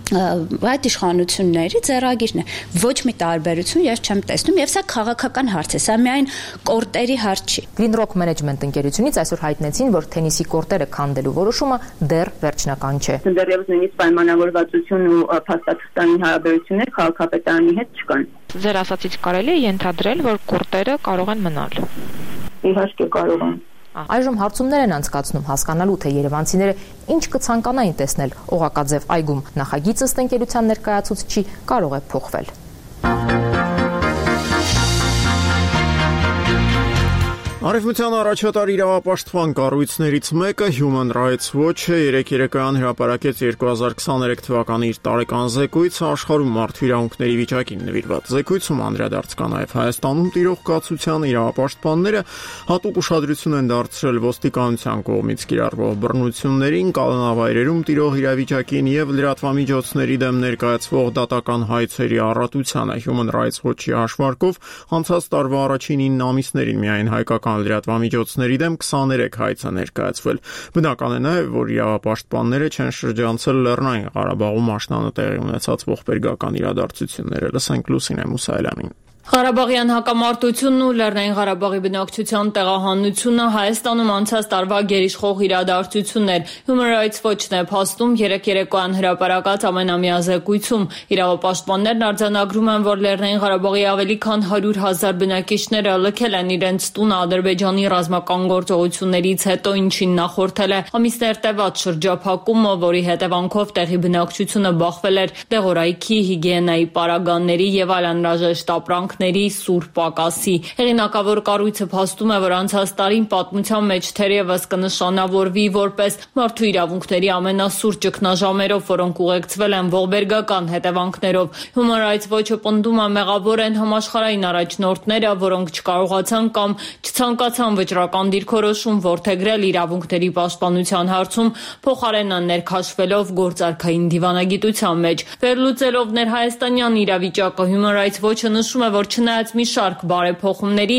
այդ իշխանությունների ձեռագիրն է, ոչ մի տարբերություն ես չեմ տեսնում եւ սա քաղաքական հարց է, սա միայն կորտերի հարց չի։ Greenrock Management ընկերությունից այսօր հայտնեցին, որ թենիսի կորտերը քանդելու որոշումը դեռ վերջնական չէ։ Դեռևս նույնիսկ պայմանավորվածություն ու փաստաթղթային հարաբերություններ քաղաքապետարանի հետ չկան։ Ձեր ասացից կարելի է ենթադրել, որ կորտերը կարող են մնալ։ Իհարկե կարող են։ Այժմ հարցումներ են անցկացնում հասկանալու, թե երևանցիները ինչ կցանկանային տեսնել Օղակաձև այգում։ Նախագիծը ըստ ընկերության ներկայացուցչի կարող է փոխվել։ Արևմտյան առաջատար իրավապաշտպան կառույցներից մեկը Human Rights Watch-ը երեկ երեկոյան հրապարակեց երկու հազար քսաներեք թվականի իր տարեկան զեկույցը աշխարհում մարդու իրավունքների վիճակին նվիրված։ Զեկույցում անդրադարձ կա նաև Հայաստանում տիրող կացության իրավապաշտպանները հատուկ ուշադրություն են դարձրել ոստիկանության կողմից կիրառվող բռնություններին, կալանավայրերում տիրող իրավիճակին եւ լրատվամիջոցների դեմ ներկայացվող դատական հայցերի առատությանը։ Human Rights Watch-ի հաշվարկով անցած տարվա առաջին ինը ամիսներին միայն հայկական լրատվամիջոցների դեմ քսաներեք հայց է ներկայացվել։ Բնական է նաև, որ իրավապաշտպանները չեն շրջանցել Լեռնային Ղարաբաղում աշնանը տեղի ունեցած ողբերգական իրադարձությունները։ Լսենք Լուսինե Մուսայելյանին։ Ղարաբաղյան հակամարտությունն ու Լեռնային Ղարաբաղի բնակչության տեղահանությունը Հայաստանում անցած տարվա գերիշխող իրադարձություններ։ Human Rights Watch-ն է փաստում երեկ երեկոյան հրապարակած ամենամյա զեկույցում։ Իրավապաշտպաններն արձանագրում են, որ Լեռնային Ղարաբաղի ավելի քան հարյուր հազար բնակիչները լքել են իրենց տունը Ադրբեջանի ռազմական գործողություններից հետո, ինչին նախորդել է ամիսներ տևած շրջափակումը, որի հետևանքով տեղի բնակչությունը բախվել էր դեղորայքի, հիգիենայի պարագաների եւ այլ անհրաժեշտ ապրանք սուր պակասի։ Հեղինակավոր կառույցը փաստում է, որ անցած տարին պատմության մեջ թերևս կնշանավորվի որպես մարդու իրավունքների ամենասուր ճգնաժամերով, որոնք ուղեկցվել են ողբերգական հետևանքներով։ Human Rights Watch-ը պնդում է, մեղավոր են համաշխարհային առաջնորդները, որոնք չկարողացան կամ չցանկացան վճռական դիրքորոշում որդեգրել իրավունքների պաշտպանության հարցում, փոխարենը ներքաշվելով գործարքային դիվանագիտության մեջ։ Վերլուծելով ներհայաստանյան իրավիճակը, Human Rights Watch-ը նշում է, որ չնայած մի շարք բարեփոխումների,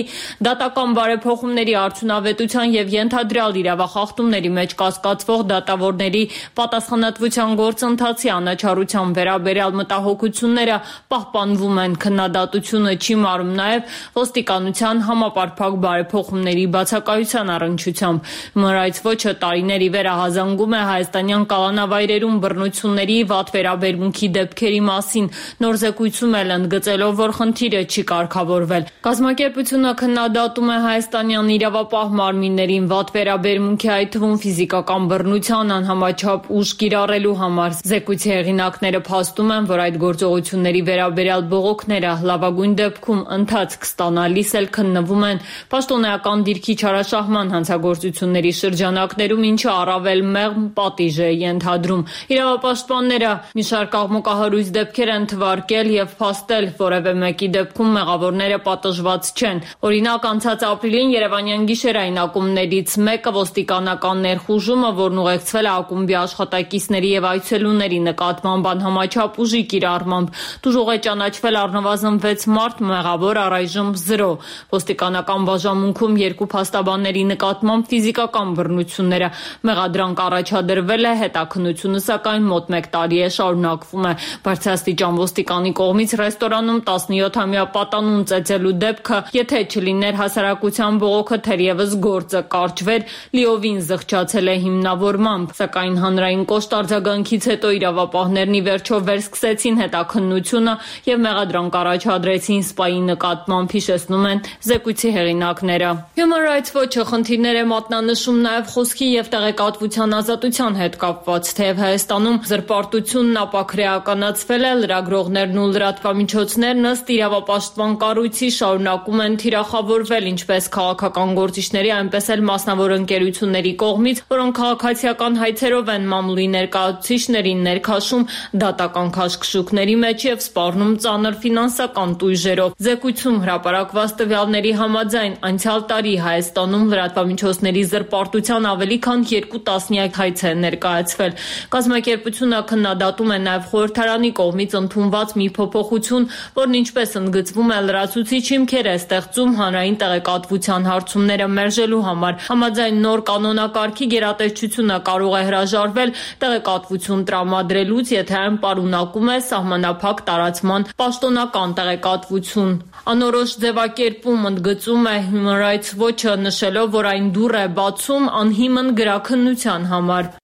դատական բարեփոխումների արդյունավետության եւ ենթադրյալ իրավախախտումների մեջ կասկածվող դատավորների պատասխանատվության գործընթացի անաչառության վերաբերյալ մտահոգությունները պահպանվում են, քննադատությունը չի մարում նաեւ ոստիկանության համապարփակ բարեփոխումների բացակայության առնչությամբ։ Human Rights Watch-ը տարիների վերահազանգում է հայաստանյան կալանավայրերում բռնությունների վատ վերաբերմունքի դեպքերի մասին, նոր զեկույցում էլ ընդգծելով, որ խնդիրը չի կարգավորվել։ Կազմակերպությունը քննադատում է հայաստանյան իրավապահ մարմիններին վատ վերաբերմունքի, այդ թվում ֆիզիկական բռնության անհամաչափ ուժ կիրառելու համար։ Զեկույցի հեղինակները փաստում են, որ այդ գործողությունների վերաբերյալ բողոքները լավագույն դեպքում ընթացք ստանալիս էլ քննվում են պաշտոնեական դիրքի չարաշահման հանցագործությունների շրջանակներում, ինչը առավել մեղմ պատիժ է ենթադրում։ Իրավապաշտպանները մի շարք աղմուկահարույց դեպքեր են թվարկել եւ փաստել, որևէ մեկի դեպքում ընթացքում մեղավորները պատժված չեն։ Օրինակ, անցած ապրիլին Երևանյան գիշերային ակումբներից մեկը ոստիկանական ներխուժումը, որն ուղեկցվել է ակումբի աշխատակիցների եւ այցելուների նկատմամբ անհամաչափ ուժի կիրառմամբ, դժոխ է ճանաչվել առնվազն վեց մարդ, մեղավոր առայժմ զրո։ Ոստիկանական բաժանմունքում երկու փաստաբանների նկատմամբ ֆիզիկական բռնությունները մեղադրանք առաջադրվել է, հետաքննությունը սակայն մոտ մեկ տարի է շարունակվում է։ Բարձրաստիճան ոստիկանի կողմից ռեստորանում տասնյոթամյա պատանուն ծեծելու դեպքը, եթե չլիներ հասարակության բողոքը, թերևս գործը կարճվեր, լիովին զղջացել է հիմնավորմամբ, սակայն հանրային կոշտ արձագանքից հետո իրավապահներն ի վերջո վերսկսեցին հետաքննությունը եւ մեղադրանք առաջադրեցին սպայի նկատմամբ, հիշեցնում են զեկույցի հեղինակները։ Human Rights Watch-ը խնդիրներ է մատնանշում նաեւ խոսքի եւ տեղեկատվության ազատության հետ կապված, թեև Հայաստանում զրպարտությունն ապաքրեականացվել է, լրագրողներն ու լրատվամիջոցներն ըստ իրավապաշտպան կառույցի շարունակում են թիրախավորվել ինչպես քաղաքական գործիչների, այնպես էլ մասնավոր ընկերությունների կողմից, որոնք քաղաքացիական հայցերով են մամուլի ներկայացուցիչներին ներքաշում դատական քաշքշուկների մեջ եւ սպառնում ծանր ֆինանսական տույժերով։ Զեկույցում հրապարակված տվյալների համաձայն անցյալ տարի Հայաստանում լրատվամիջոցների զրպարտության ավելի քան երկու տասնյակ հայց է ներկայացվել։ Կազմակերպությունը քննադատում է նաեւ խորհրդարանի կողմից ընդունված մի փոփոխություն, որն ինչպես ընդգծվում է լրացուցիչ հիմքեր է ստեղծում հանրային տեղեկատվության հարցումները մերժելու համար։ Համաձայն նոր կանոնակարգի գերատեսչությունը կարող է հրաժարվել տեղեկատվություն տրամադրելուց, եթե այն պարունակում է սահմանափակ տարածման պաշտոնական տեղեկատվություն։ Անորոշ ձևակերպում ընդգծում է Human Rights Watch-ը, նշելով, որ այն դուռ է բացում անհիմն գրաքննության համար։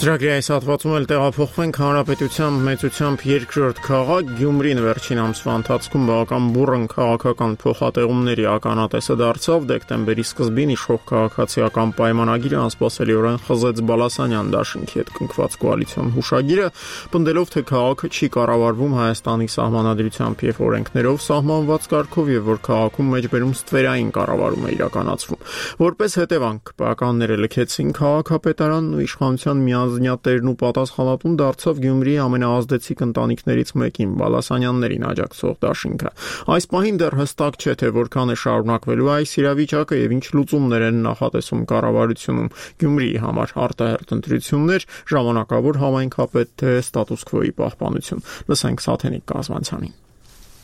Ծրագրի այս հատվածում էլ տեղափոխվենք հանրապետության մեծությամբ երկրորդ քաղաք Գյումրին վերջին ամսվա ընթացքում բավական բուռն քաղաքական փոխատեղումների ականատեսը դարձավ։ Դեկտեմբերի սկզբին իշխող քաղաքացիական պայմանագիրը անսպասելիորեն խզեց Բալասանյան դաշինքի հետ կնքված կոալիցիոն հուշագիրը, պնդելով, թե քաղաքը չի կառավարվում Հայաստանի սահմանադրությամբ եւ օրենքներով սահմանված կարգով եւ որ քաղաքում մեջբերում ստվերային կառավարում է իրականացվում։ Որպես հետևանք, ՊԱԿ-ները լքեցին քաղաքապետարանն ու իշխանության միան Տերն ու պատասխանատուն դարձավ Գյումրիի ամենաազդեցիկ ընտանիքներից մեկին՝ Բալասանյաններին աջակցող դաշինքը։ Այս պահին դեռ հստակ չէ, թե որքան է շարունակվելու այս իրավիճակը եւ ինչ լուծումներ են նախատեսում կառավարությունում Գյումրիի համար՝ արտահերթ ընտրություններ, ժամանակավոր համայնքապետ, թե ստատուս քվոյի պահպանություն։ Լսենք Սաթենիկ Կազմանցյանին։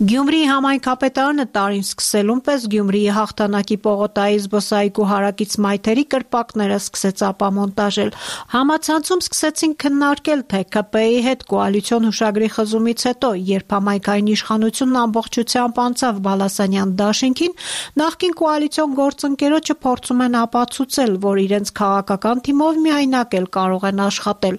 Գյումրիի համայնքապետարանը տարին սկսելուն պես Գյումրիի հաղթանակի պողոտայի զբոսայգու հարակից մայթերի կրպակները սկսեց ապամոնտաժել։ Համացանցում սկսեցին քննարկել, թե ԿՊ-ի հետ կոալիցիոն հուշագրի խզումից հետո, երբ համայնքային իշխանությունն ամբողջությամբ անցավ Բալասանյան դաշինքին, նախկին կոալիցիոն գործընկերոջը փորձում են ապացուցել, որ իրենց քաղաքական թիմով միայնակ էլ կարող են աշխատել։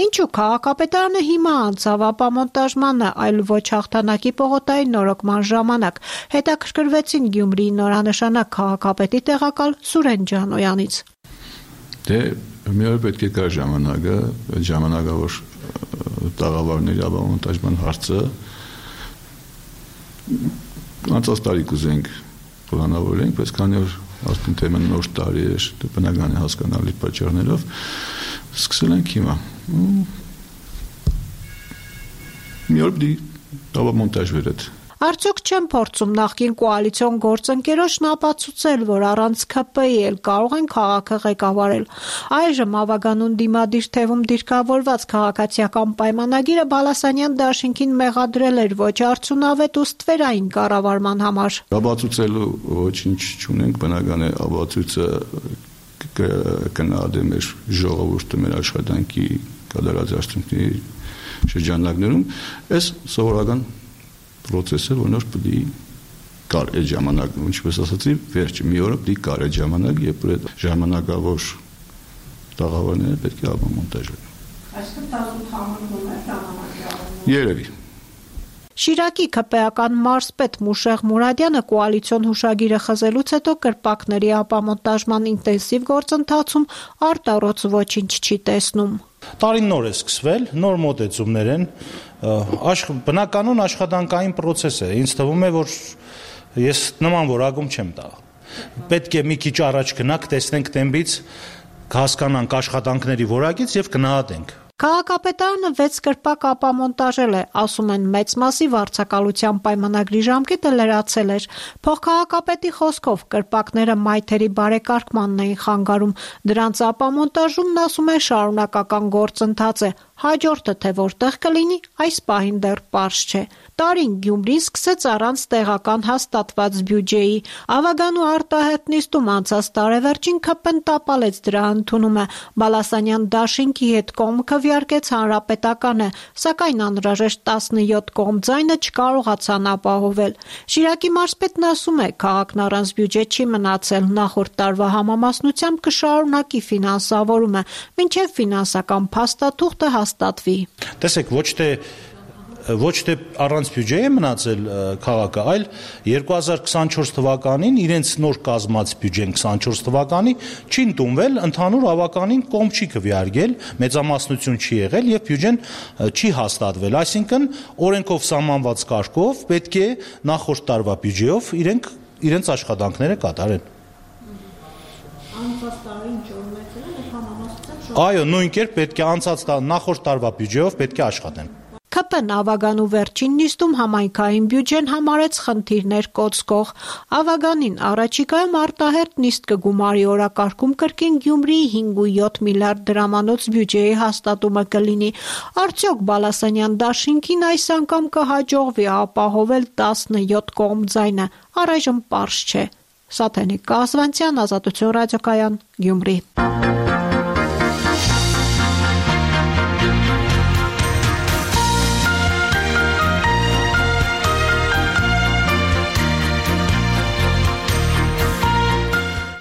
Ինչու քաղաքապետարանը հիմա անցավ ապամոնտաժմանը, այլ ոչ հաղթանակի պողոտայի նորոգման ժամանակ, հետաքրքրվեցին Գյումրիի նորանշանակ քաղաքապետի տեղակալ Սուրեն Ջանոյանից։ Դե մի օր պետք է կա ժամանակը, ժամանակավոր տաղավարների ապամոնտաժման հարցը անցած տարի կուզենք պլանավորենք, բայց քանի որ ասում թեման նոր տարի է, բնական է հասկանալի պատճառներով, սկսել ենք հիմա։ Մի օր պիտի ապամոնտաժվեր այդ։ Արդյոք չեն փորձում նախկին կոալիցիոն գործընկերոջն ապացուցել, որ առանց ԿՊ-ի էլ կարող են քաղաքը ղեկավարել։ Այժմ ավագանուն դիմադիր թևում դիրքավորված քաղաքացիական պայմանագիրը Բալասանյան դաշինքին մեղադրել էր ոչ արդյունավետ ու ստվերային կառավարման համար։ Ապացուցելու ոչինչ չունենք, բնական է ապացույցը կնահատեմ մեր ժողովուրդը, մեր աշխատանքի կատարած արդյունքների շրջանակներում, այս սովորական պրոցեսը, որ նոր պիտի կար այդ ժամանակ, ինչպես ասացի, վերջը մի օրը պիտի կար այդ ժամանակ, երբ այդ ժամանակավոր տաղավարները պետք է ապամոնտաժվեն։ Այսինքն տասնութ համարվում է ժամանակավորը։ Երևի։ Շիրակի ԿՊ-ական մարզպետ Մուշեղ Մուրադյանը կոալիցիոն հուշագիրը խզելուց հետո կրպակների ապամոնտաժման ինտենսիվ գործընթացում արտառոց ոչինչ չի տեսնում։ Տարին նոր է սկսվել, նոր մոտեցումներ են, բնականon աշխատանքային պրոցես է, ինձ թվում է, որ ես նման որակում չեմ տա։ Պետք է մի քիչ առաջ գնանք, տեսնենք տեմպից, հասկանանք աշխատանքների որակից եւ գնահատենք։ Քաղաքապետարանը վեց կրպակ ապամոնտաժել է, ասում են մեծ մասի վարձակալության պայմանագրի ժամկետը լրացել էր։ Փոխքաղաքապետի խոսքով կրպակները մայթերի բարեկարգմանն էին խանգարում, դրանց ապամոնտաժումն ասում է շարունակական գործընթաց է, հաջորդը թե որտեղ կլինի, այս պահին դեռ պարզ չէ։ Տարին Գյումրին սկսեց առանց տեղական հաստատված բյուջեի։ Ավագանու արտահայտ նիստում անցած տարեվերջին ՔՊ-ն տապալեց դրա ընդունումը։ Բալասանյան դաշինքի հետ կողմ քվեարկեց հանրապետականը, սակայն անհրաժեշտ տասնյոթ կողմ ձայնը չկարողացան ապահովել։ Շիրակի մարզպետն ասում է, քաղաքն առանց բյուջե չի մնացել, նախորդ տարվա համամասնությամբ կշարունակի ֆինանսավորումը, մինչև ֆինանսական փաստաթուղթը հաստատվի։ Տեսեք, ոչ թե ոչ թե առանց բյուջե է մնացել քաղաքը, այլ երկու հազար քսանչորս թվականին իրենց նոր կազմած բյուջեն քսանչորս թվականի չի ընդունվել, ընդհանուր ավականին կողմ չի քվեարկել, մեծամասնություն չի եղել եւ բյուջեն չի հաստատվել, այսինքն օրենքով սահմանված կարգով պետք է նախորդ տարվա բյուջեով իրենք իրենց աշխատանքները կատարեն։ Անցած տարի ինչ օրենքներ են համամասնությամբ։ Այո, նույն կերպ պետք է անցած նախորդ տարվա բյուջեով պետք է աշխատեն։ ՔՊ-ն ավագանու վերջին նիստում համայնքային բյուջեն համարեց խնդիրներ կոծկող։ Ավագանին առաջիկայում արտահերթ նիստ կգումարի օրակարգում կրկին Գյումրիի հինգ ու յոթ միլիարդ դրամանոց բյուջեի հաստատումը կլինի։ Արդյոք Բալասանյան դաշինքին այս անգամ կհաջողվի ապահովել տասնյոթ կողմ ձայնը, առայժմ պարզ չէ։ Սաթենիկ Կազվանցյան, Ազատություն ռադիոկայան, Գյումրի։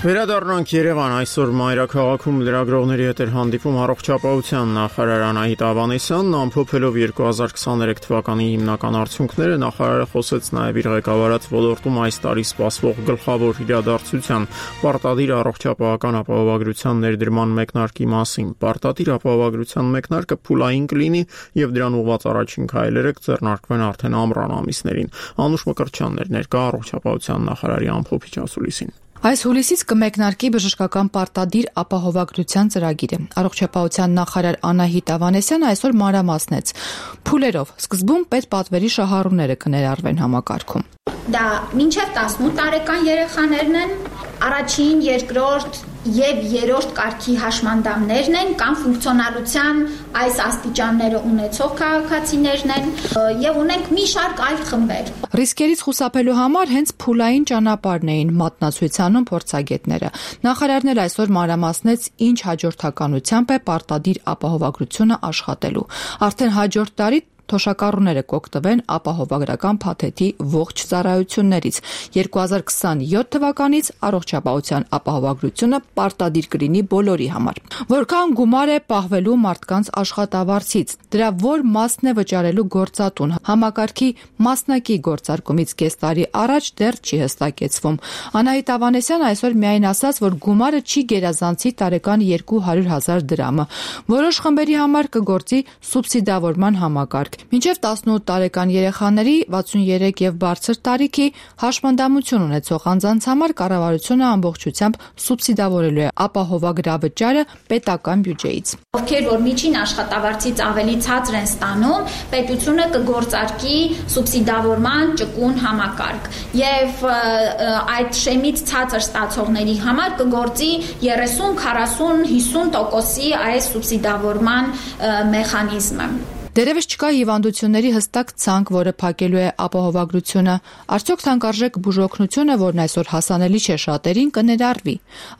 Վերադառնանք Երևան, այսօր մայրաքաղաքում լրագրողների հետ էր հանդիպում առողջապահության նախարար Անահիտ Ավանեսյանն, ամփոփելով երկու հազար քսաներեք թվականի հիմնական արդյունքները, նախարարը խոսեց նաև իր ղեկավարած ոլորտում այս տարի սպասվող գլխավոր իրադարձության՝ պարտադիր առողջապահական ապահովագրության ներդրման մեկնարկի մասին։ Պարտադիր ապահովագրության մեկնարկը փուլային կլինի եւ դրան ուղղված առաջին քայլերը կձեռնարկվեն արդեն ամռան ամիսներին։ Անուշ Մկրտչյանն էր ներկա առողջապահության նախարարի ամփոփիչ ասուլիսին։ Այս հուլիսից կմեկնարկի բժշկական պարտադիր ապահովագրության ծրագիրը։ Առողջապահության նախարար Անահիտ Ավանեսյանը այսօր մանրամասնեց փուլերով։ Սկզբում պետպատվերի շահառուները կներառվեն համակարգում։ Դա մինչև տասնութ տարեկան երեխաներն են, առաջին, երկրորդ եւ երրորդ կարգի հաշմանդամներն են կամ ֆունկցիոնալության այս աստիճանները ունեցող քաղաքացիներն են եւ ունենք մի շարք այլ խմբեր։ Ռիսկերից խուսափելու համար հենց փուլային ճանապարհն էին մատնացույցանում փորձագետները։ Նախարարն էլ այսօր մանրամասնեց, ինչ հաջորդականությամբ է պարտադիր ապահովագրությունը աշխատելու։ Արդեն հաջորդ տարի թոշակառուները կօգտվեն ապահովագրական փաթեթի ողջ ծառայություններից։ երկու հազար քսանյոթ թվականից առողջապահության ապահովագրությունը պարտադիր կլինի բոլորի համար։ Որքան գումար է պահվելու մարդկանց աշխատավարձից, դրա որ մասն է վճարելու գործատուն, համակարգի մասնակի գործարկումից կես տարի առաջ դեռ չի հստակեցվում։ Անահիտ Ավանեսյանը այսօր միայն ասաց, որ գումարը չի գերազանցի տարեկան երկու հարյուր հազար դրամը։ Որոշ խմբերի համար կգործի սուբսիդավորման համակարգ։ Մինչև տասնութ տարեկան երեխաների վաթսուներեք եւ բարձր տարիքի հաշմանդամություն ունեցող անձանց համար կառավարությունը ամբողջությամբ սուբսիդավորելու է ապահովագրավճարը պետական բյուջեից։ Ովքեր որ միջին աշխատավարձից ավելի ցածր են ստանում, պետությունը կգործարկի սուբսիդավորման ճկուն համակարգ եւ այդ շեմից ցածր ստացողների համար կգործի երեսուն, քառասուն, հիսուն տոկոսի այս սուբսիդավորման մեխանիզմը։ Դերևս չկա հիվանդությունների հստակ ցանկ, որը փակելու է ապահովագրությունը։ Արդյոք թանկարժեք բուժօգնությունը, որն այսօր հասանելի չէ շատերին, կներառվի։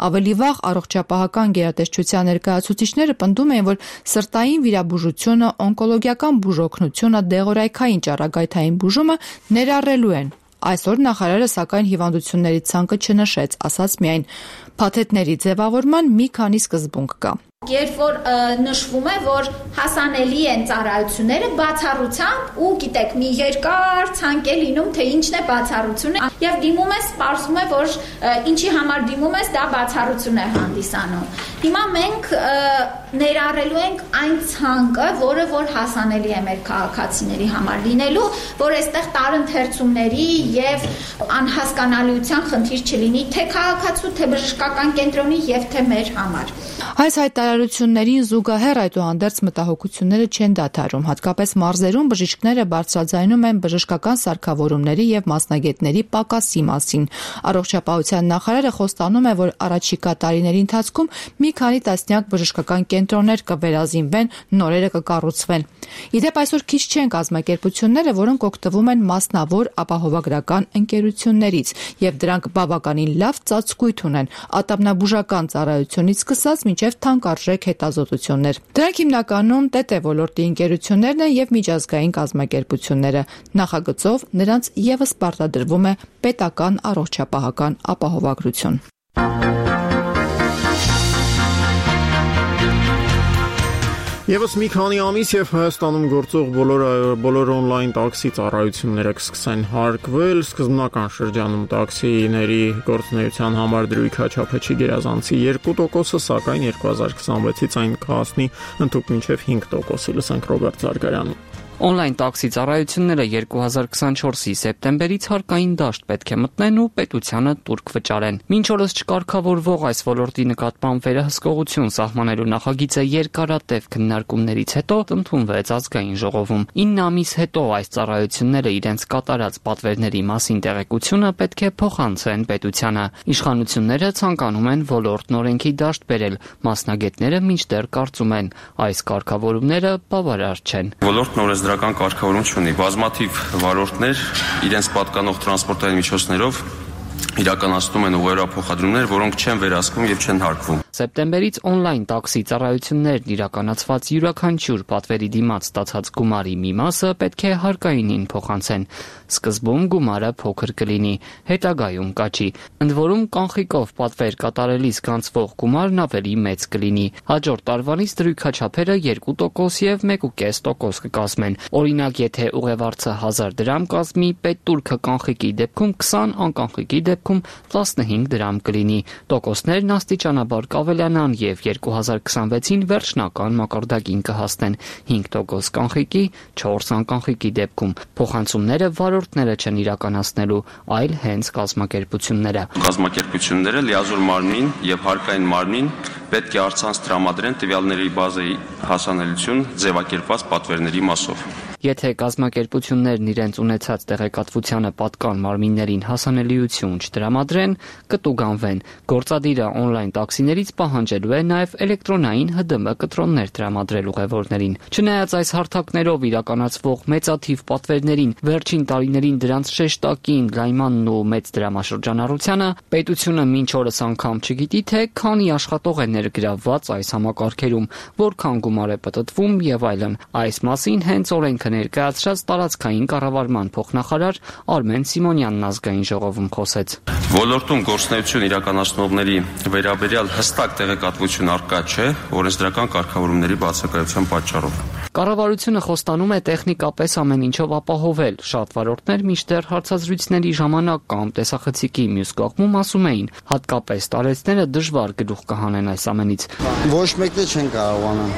Ավելի վաղ առողջապահական գերատեսչության ներկայացուցիչները պնդում էին, որ սրտային վիրաբուժությունը, օնկոլոգիական բուժօգնությունը, դեղորայքային ճառագայթային բուժումը ներառելու են։ Այսօր նախարարը սակայն հիվանդությունների ցանկը չնշեց, ասաց միայն փաթեթների ձևավորման մի քանի սկզբունք կա։ Երբ որ նշվում է, որ հասանելի են ծառայությունները բացառությամբ ու գիտեք մի երկար ցանկ է լինում, թե ինչն է բացառությունը եւ դիմում ես, սպասում է, որ ինչի համար դիմում ես, դա բացառություն է հանդիսանում։ Հիմա մենք ներառելու ենք այն ցանկը, որը որ հասանելի է մեր քաղաքացիների համար լինելու, որ այստեղ տարընթերցումների եւ անհասկանալիության խնդիր չլինի թե քաղաքացու, թե բժշկական կենտրոնի եւ թե մեր համար։ Այս հայտարարություններին զուգահեռ այդուհանդերձ մտահոգությունները չեն դադարում, հատկապես մարզերում բժիշկները բարձրաձայնում են բժշկական սարքավորումների եւ մասնագետների պակասի մասին։ Առողջապահության նախարարը խոստանում է, որ առաջիկա տարիների ընթացքում մի քանի տասնյակ բժշկական կենտրոններ կվերազինվեն, նորերը կկառուցվեն։ Իդեպ այսօր քիչ չեն կազմակերպությունները, որոնք օգտվում են մասնավոր ապահովագրական ընկերություններից, եւ դրանք բավականին լավ ծածկույթ ունեն ատամնաբուժական ծառայությունից սկսած մինչև թանկարժեք հետազոտություններ։ Դրանք հիմնականում ՏՏ ոլորտի ընկերություններն են եւ միջազգային կազմակերպությունները։ Նախագծով նրանց եւս պարտադրվում է պետական առողջապահական ապահովագրություն։ Եվս մի քանի ամիս եւ Հայաստանում գործող բոլոր բոլոր on-line տաքսի ծառայությունները կսկսեն հարկվել, սկզբնական շրջանում տաքսիների գործունեության համար դրույքաչափը չի գերազանցի երկու տոկոսը, սակայն երկու հազար քսանվեցից այն կհասնի ընդհանուր մինչև հինգ տոկոսի, լսենք Ռոբերտ Զարգարյանը։ On-line տաքսի ծառայությունները երկու հազար քսանչորսի սեպտեմբերից հարկային դաշտ պետք է մտնեն ու պետությանը տուրք վճարեն։ Մինչ օրս չկարգավորվող այս ոլորտի նկատմամբ վերահսկողություն սահմանելու նախագիծը երկարատև քննարկումներից հետո ընդունվեց ազգային ժողովում։ ինը ամիս հետո այս ծառայությունները իրենց կատարած պատվերների մասին տեղեկությունը պետք է փոխանցեն պետությանը։ Իշխանությունները ցանկանում են ոլորտն օրենքի դաշտ բերել, մասնագետները մինչդեռ կարծում են, այս կարգավորումները բավարար չեն։ Ոլորտն օրենս դրական կարգավորում չունի։ Բազմաթիվ վարորդներ իրենց պատկանող տրանսպորտային միջոցներով իրականացնում են ուղղափոխադրումներ, որոնք չեն վերահսկվում եւ չեն հարկվում։ Սեպտեմբերից on-line տաքսի ծառայություններն իրականացված յուրաքանչյուր պատվերի դիմաց ստացած գումարի մի մասը պետք է հարկայինին փոխանցեն։ Սկզբում գումարը փոքր կլինի, հետագայում կաճի։ Ընդ որում կանխիկով պատվեր կատարելիս գանձվող գումարն ավելի մեծ կլինի։ Հաջորդ տարվանից դրույքաչափերը երկու տոկոս եւ մեկ ու կես տոկոս կկազմեն։ Օրինակ, եթե ուղևորցը հազար դրամ կազմի, պետտուրքը կանխիկի դեպքում քսան, անկանխիկի դեպքում տասնհինգ դրամ կլինի։ Տոկոսներն աստիճանաբար կավելանան եւ երկու հազար քսանվեցին վերջնական մակարդակին կհասնեն հինգ տոկոս կանխիկի, չորս անկանխիկի դեպքում։ Փոխանցումները վարորդները չեն իրականացնելու, այլ հենց կազմակերպությունները։ Կազմակերպությունները լիազոր մարմնին եւ հարկային մարմնին պետք է առցանց տրամադրեն տվյալների բազայի հասանելիություն ձևակերպված պատվերների մասով։ Եթե կազմակերպություններն իրենց ունեցած տեղեկատվությանը պատկան մարմիններին հասանելիություն չտրամադրեն, կտուգանվեն։ Գործադիրը on-line տաքսիներից պահանջելու է նաև էլեկտրոնային Հ Դ M կտրոններ տրամադրել ուղևորներին։ Չնայած այս հարթակներով իրականացվող մեծաթիվ պատվերներին, վերջին տարիներին դրանց շեշտակին լայմանն ու մեծ դրամաշրջանառությանը, պետությունը մինչ օրս անգամ չգիտի, թե քանի աշխատող է ներգրավված այս համակարգերում, որքան գումար է պտտվում եւ այլն։ Այս մասին հենց օրենքը ներկայացրած տարածքային կառավարման փոխնախարար Արմեն Սիմոնյանն ազգային ժողովում խոսեց։ Ոլորտում գործունեություն իրականացնողների վերաբերյալ հստակ տեղեկատվություն առկա չէ օրենսդրական կարգավորումների բացակայության պատճառով։ Կառավարությունը խոստանում է տեխնիկապես ամեն ինչով ապահովել։ Շատ վարորդներ մինչդեռ հարցազրույցների ժամանակ կամ տեսախցիկի մյուս կողմում ասում էին, հատկապես տարեցները դժվար գլուխ կհանեն այս ամենից։ Ոչ մեկը չեն կարողանա։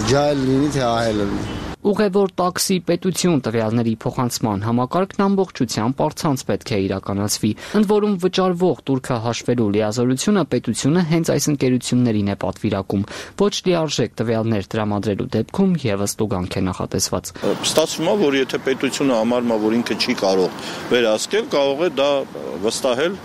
Ջահել լինի թե ահել լինի։ Ուղևոր տաքսի պետություն տվյալների փոխանցման համակարգն ամբողջությամբ առցանց պետք է իրականացվի։ Ընդ որում վճարվող տուրքը հաշվելու լիազորությունը պետությունը հենց այս ընկերություններին է պատվիրակում։ Ոչ լիարժեք տվյալներ տրամադրելու դեպքում եւս տուգանք է նախատեսված։ Ստացվում է, որ եթե պետությունը համարում է, որ ինքը չի կարող վերահսկել, կարող է դա վստահել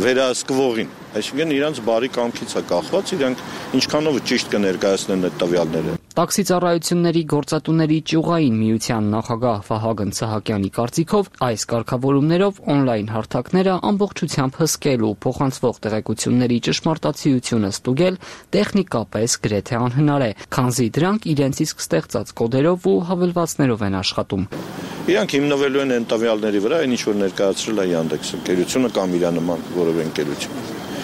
վերահսկվողին։ Այսինքն իրանց բարի կամքից է կախված, իրանք ինչքանով ճիշտ կներկայացնեն այդ տվյալները։ Տաքսի ծառայությունների գործատուների ճյուղային միության նախագահ Վահագն Սահակյանի կարծիքով այս կարգավորումներով on-line հարթակները ամբողջությամբ հսկել ու փոխանցվող տեղեկությունների ճշմարտացիությունը ստուգել տեխնիկապես գրեթե անհնար է, քանզի դրանք իրենց իսկ ստեղծած կոդերով ու հավելվածներով են աշխատում։ Իրանք հիմնվելու են այն տվյալների վրա, այն ինչ որ ներկայացրել է Yandex ընկերությունը կամ իր նման որևէ ընկերություն։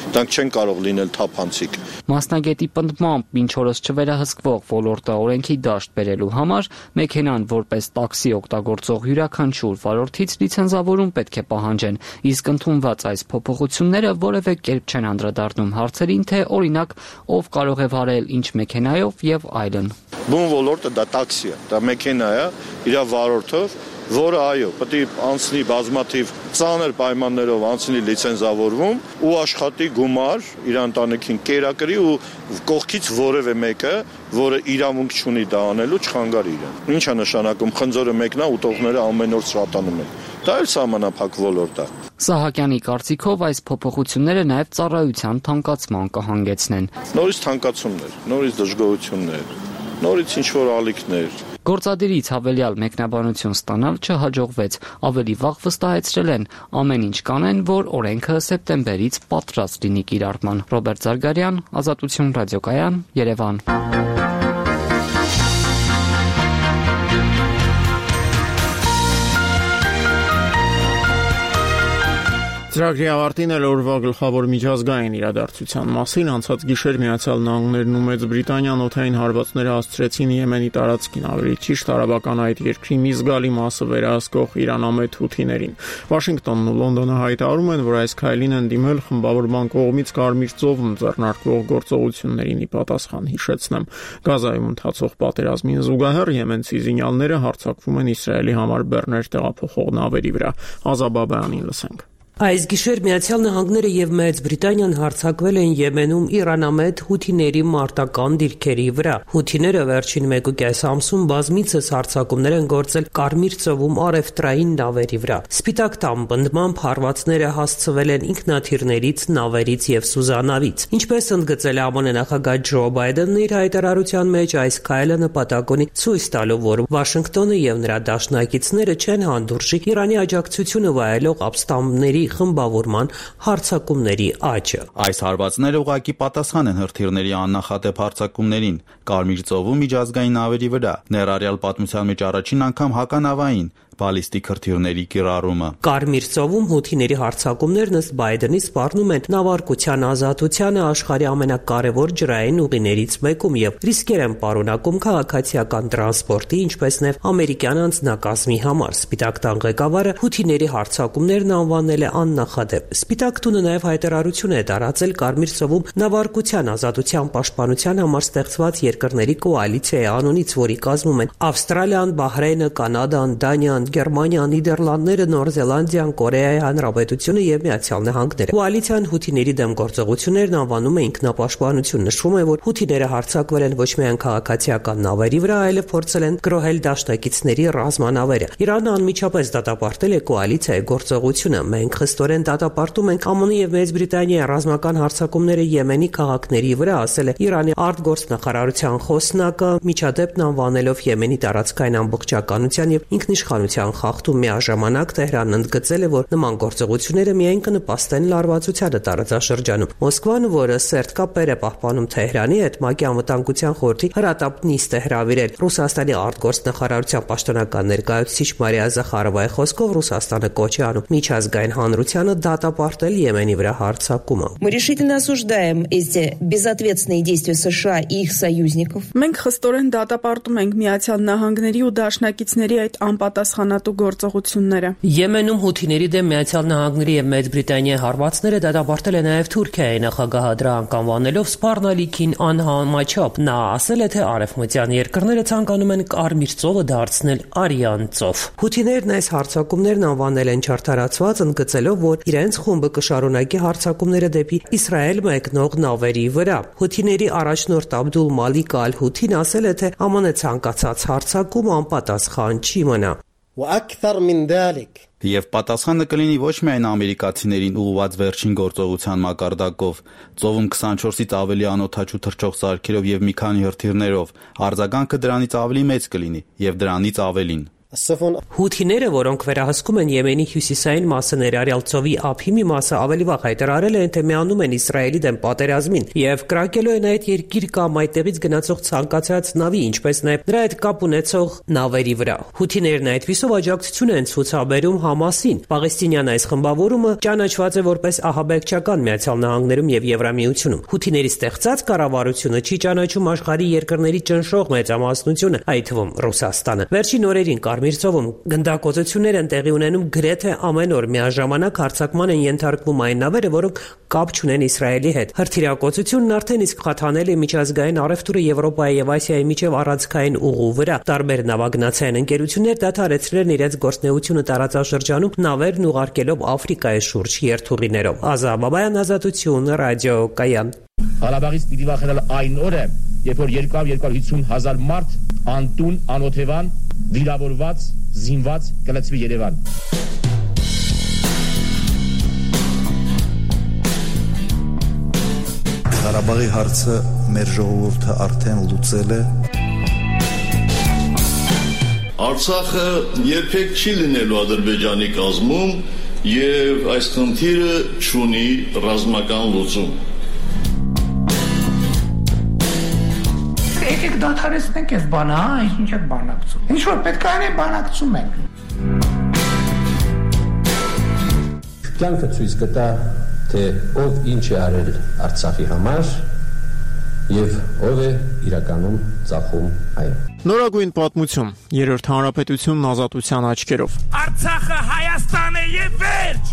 Դրանք չեն կարող լինել թափանցիկ։ Մասնագետի պնդմամբ, մինչ օրս չվերահսկվող ոլորտը օրենքի դաշտ բերելու համար մեքենան որպես տաքսի օգտագործող յուրաքանչյուր վարորդից լիցենզավորում պետք է պահանջեն, իսկ ընդունված այս փոփոխությունները որևէ կերպ չեն անդրադառնում հարցերին, թե օրինակ ով կարող է վարել ինչ մեքենայով եւ այլն։ Բուն ոլորտը դա տաքսի է, դա մեքենա է, իր վարորդով, որը այո, պետք է անցնի բազմաթիվ ծանր պայմաններով անցնի լիցենզավորվում ու աշխատի գումար իր ընտանիքին կերակրի ու կողքից որևէ մեկը, որը իրավունք չունի դա անելու, չխանգարի իրեն։ Ինչ է նշանակում խնձորը մեկն է, ուտողները ամեն օր շատանում են։ Դա էլ սահմանափակ ոլորտ է։ Սահակյանի կարծիքով այս փոփոխությունները նաև ծառայության թանկացման կհանգեցնեն։ Նորից թանկացումներ, նորից դժգոհություններ, նորից ինչ-որ ալիքներ։ Գործադիրից հավելյալ մեկնաբանություն ստանալ չհաջողվեց, ավելի վաղ վստահեցրել են, ամեն ինչ կանեն, որ օրենքը սեպտեմբերից պատրաստ լինի կիրառման։ Ռոբերտ Զարգարյան, Ազատություն ռադիոկայան, Երևան։ Ծրագրի ավարտին էլ օրվա գլխավոր միջազգային իրադարձության մասին անցած գիշեր Միացյալ Նահանգներն ու Մեծ Բրիտանիան օդային հարվածները հասցրեցին Եմենի տարածքին, ավելի ճիշտ արաբական այդ երկրի մի զգալի մասը վերահսկող իրանամետ հութիներին։ Վաշինգտոնն ու Լոնդոնը հայտարարում են, որ այս քայլին են դիմել խմբավորման կողմից Կարմիր ծովում ձեռնարկվող գործողություններին ի պատասխան, հիշեցնեմ։ Գազայում ընթացող պատերազմին զուգահեռ եմենցի զինյալները հարձակվում են Իսրայելի համար բեռներ տեղափոխող նավերի վրա։ Ազաբաբյանին լսենք։ Այս գիշեր Միացյալ Նահանգները եւ Մեծ Բրիտանիան հարձակվել են Եմենում իրանամետ հութիների մարտական դիրքերի վրա։ Հութիները վերջին մեկուկես ամսում բազմիցս հարձակումներ են գործել Կարմիր ծովում առևտրային նավերի վրա։ Սպիտակ տան բնդմամբ հարվածները հասցվել են ինքնաթիռներից, նավերից եւ սուզանավից։ Ինչպես ընդգծել է ԱՄՆ նախագահ Ջո Բայդենն իր հայտարարության մեջ, այս քայլը նպատակ ունի ցույց տալու, որ Վաշինգտոնը եւ նրա դաշնակիցները չեն հանդուրժի Իրանի աջակցությունը վայելող ապստամբների խմբավորման հարձակումների աճը։ Այս հարվածները ուղղակի պատասխան են հրթիռների աննախադեպ հարձակումներին Կարմիր ծովում միջազգային նավերի վրա, ներառյալ պատմության մեջ առաջին անգամ հականավային բալիստիկ հրթիռների կիրառումը։ Կարմիր ծովում հութիների հարձակումներն ըստ Բայդենի սպառնում են նավարկության ազատությանը աշխարհի ամենակարևոր ջրային ուղիներից մեկում եւ ռիսկեր են պարունակում քաղաքացիական տրանսպորտի, ինչպես նաեւ ամերիկյան անձնակազմի համար։ Սպիտակ տան ղեկավարը հութիների հարձակումներն անվանել է աննախադեպ։ Սպիտակ տունը նաեւ հայտարարություն է տարածել Կարմիր ծովում նավարկության ազատության պաշտպանության համար ստեղծված երկրների կոալիցիայի անունից, որի կազմում են Ավստրալիան, Բահրեյնը, Կանադան, Դանիան, Գերմանիան, Նիդերլանդները, Նոր Զելանդիան, Կորեայի Հանրապետությունը եւ Միացյալ Նահանգները։ Կոալիցիան հութիների դեմ գործողություններն անվանում է ինքնապաշտպանություն։ Նշվում է, որ հութիները հարձակվել են ոչ միայն քաղաքացիական նավերի վրա, այլև փորձել են գրոհել դաշնակիցների ռազմանավերը։ Իրանը անմիջապես դատապարտել է կոալիցիայի գործողությունը։ Մենք խստորեն դատապարտում ենք ԱՄՆ եւ Մեծ Բրիտանիայի ռազմական հարձակումները Եմենի քաղաքների վրա, ասել է Իրանի արտգործնախարարության խոսնակը, միջադեպն անվանելով Եմենի տարածքային ամբողջականության եւ ինքնիշխանության խախտում։ Միաժամանակ Թեհրանն ընդգծել է, որ նման գործողությունները միայն կնպաստեն լարվածությանը տարածաշրջանում։ Մոսկվան, որը սերտ կապեր է պահպանում Թեհրանի հետ, ՄԱԿ-ի անվտանգության խորհրդի հրատապ նիստ է հրավիրել։ Ռուսաստանի արտգործնախարարության պաշտոնական ներկայացուցիչ Մարիա Զախարովայի խոսքով Ռուսաստանը կոչ է անում միջազգային հանրությանը դատապարտել Եմենի վրա հարձակումը։ Мы решительно осуждаем эти безответственные действия США и их союзников. Մենք խստորեն դատապարտում ենք Միացյալ Նահանգների ու դաշնակիցների այդ անպատասխանատու գործողությունները։ Եմենում հութիների դեմ Միացյալ Նահանգների եւ Մեծ Բրիտանիայի հարվածները դատապարտել է նաեւ Թուրքիայի նախագահը, դրա անկանվանելով սպառնալիքին անհամաչափ։ Նա ասել է, թե արևմտյան երկրները ցանկանում են Կարմիր ծովը դարձնել Արյան ծով։ Հութիներն այս հարձակումներն անվանել են չարթարացված, ընդգծելով, որ իրենց խումբը կշարունակի հարձակումները դեպի Իսրայել մեկնող նավերի վրա։ Հութիների առաջնորդ Աբդուլ Մալիկ Ալ-Հութին ասել է, թե ԱՄՆ ցանկացած հարձակում անպատասխան չի մնա։ Եվ պատասխանը կլինի ոչ միայն ամերիկացիներին ուղղված վերջին գործողության մակարդակով, ծովում քսանչորսից ավելի անօդաչու թռչող սարքերով եւ մի քանի հրթիռներով, արձագանքը դրանից ավելի մեծ կլինի եւ դրանից ավելին։ Հութիները, որոնք վերահսկում են Եմենի հյուսիսային մասը ներառյալ ծովի ափի մի մասը, ավելի վաղ հայտարարել են, թե միանում են Իսրայելի դեմ պատերազմին եւ կրակելու են այդ երկիր կամ այդտեղից գնացող ցանկացած նավի, ինչպես նաեւ նրա հետ կապ ունեցող նավերի վրա։ Հութիներն այդպիսով աջակցություն են ցուցաբերում Համասին։ Պաղեստինյան այս խմբավորումը ճանաչված է որպես ահաբեկչական Միացյալ Նահանգներում եւ Եվրամիությունում։ Հութիների ստեղծած կառավարությունը չի ճանաչում աշխարհի երկրների ճնշող մեծամասնությունը, այդ թվում Ռուսաստանը։ Վերջին օրերին Կարմիր ծովում գնդակոծություններ են տեղի ունենում գրեթե ամեն օր, միաժամանակ հարձակման են ենթարկվում այն նավերը, որոնք կապ չունեն Իսրայելի հետ։ Հրթիռակոծությունն արդեն իսկ խաթանել է միջազգային առևտուրը Եվրոպայի եւ Ասիայի միջև առանցքային ուղու վրա։ Տարբեր նավագնացային ընկերություններ դադարեցրել են իրենց գործունեությունը տարածաշրջանում, նավերն ուղարկելով Աֆրիկայի շուրջ երթուղիներով։ Ազա Բաբայան, Ազատություն, ռադիո Կայան։ Ղարաբաղից պիտի վախենալ այն օրը, երբ որ երկու հարյուր հիսուն հազար մարդ անտուն, անօթևան, վիրավորված, զինված կլցվի Երևան։ Ղարաբաղի հարցը մեր ժողովուրդը արդեն լուծել է։ Արցախը երբեք չի լինելու Ադրբեջանի կազմում եւ այս խնդիրը չունի ռազմական լուծում։ Եկեք դադարեցնենք այս բանը, հա, ինչ եք բանակցում։ Ինչ որ պետք է անենք, բանակցում ենք։ Կյանքը ցույց կտա, թե ով ինչ է արել Արցախի համար եւ ով է իրականում ծախում այն։ Նորագույն պատմություն, երրորդ հանրապետությունն ազատության աչքերով։ Արցախը Հայաստան է եւ վերջ։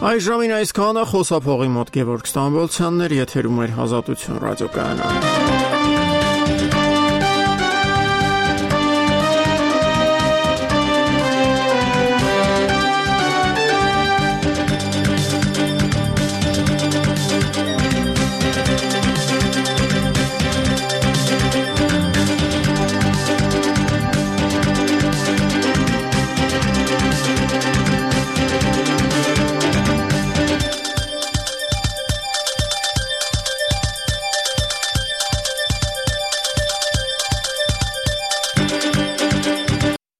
Այժմին այսքանը, խոսափողի մոտ Գևորգ Ստամբոլցյանն էր, եթերում էր Ազատություն ռադիոկայանը։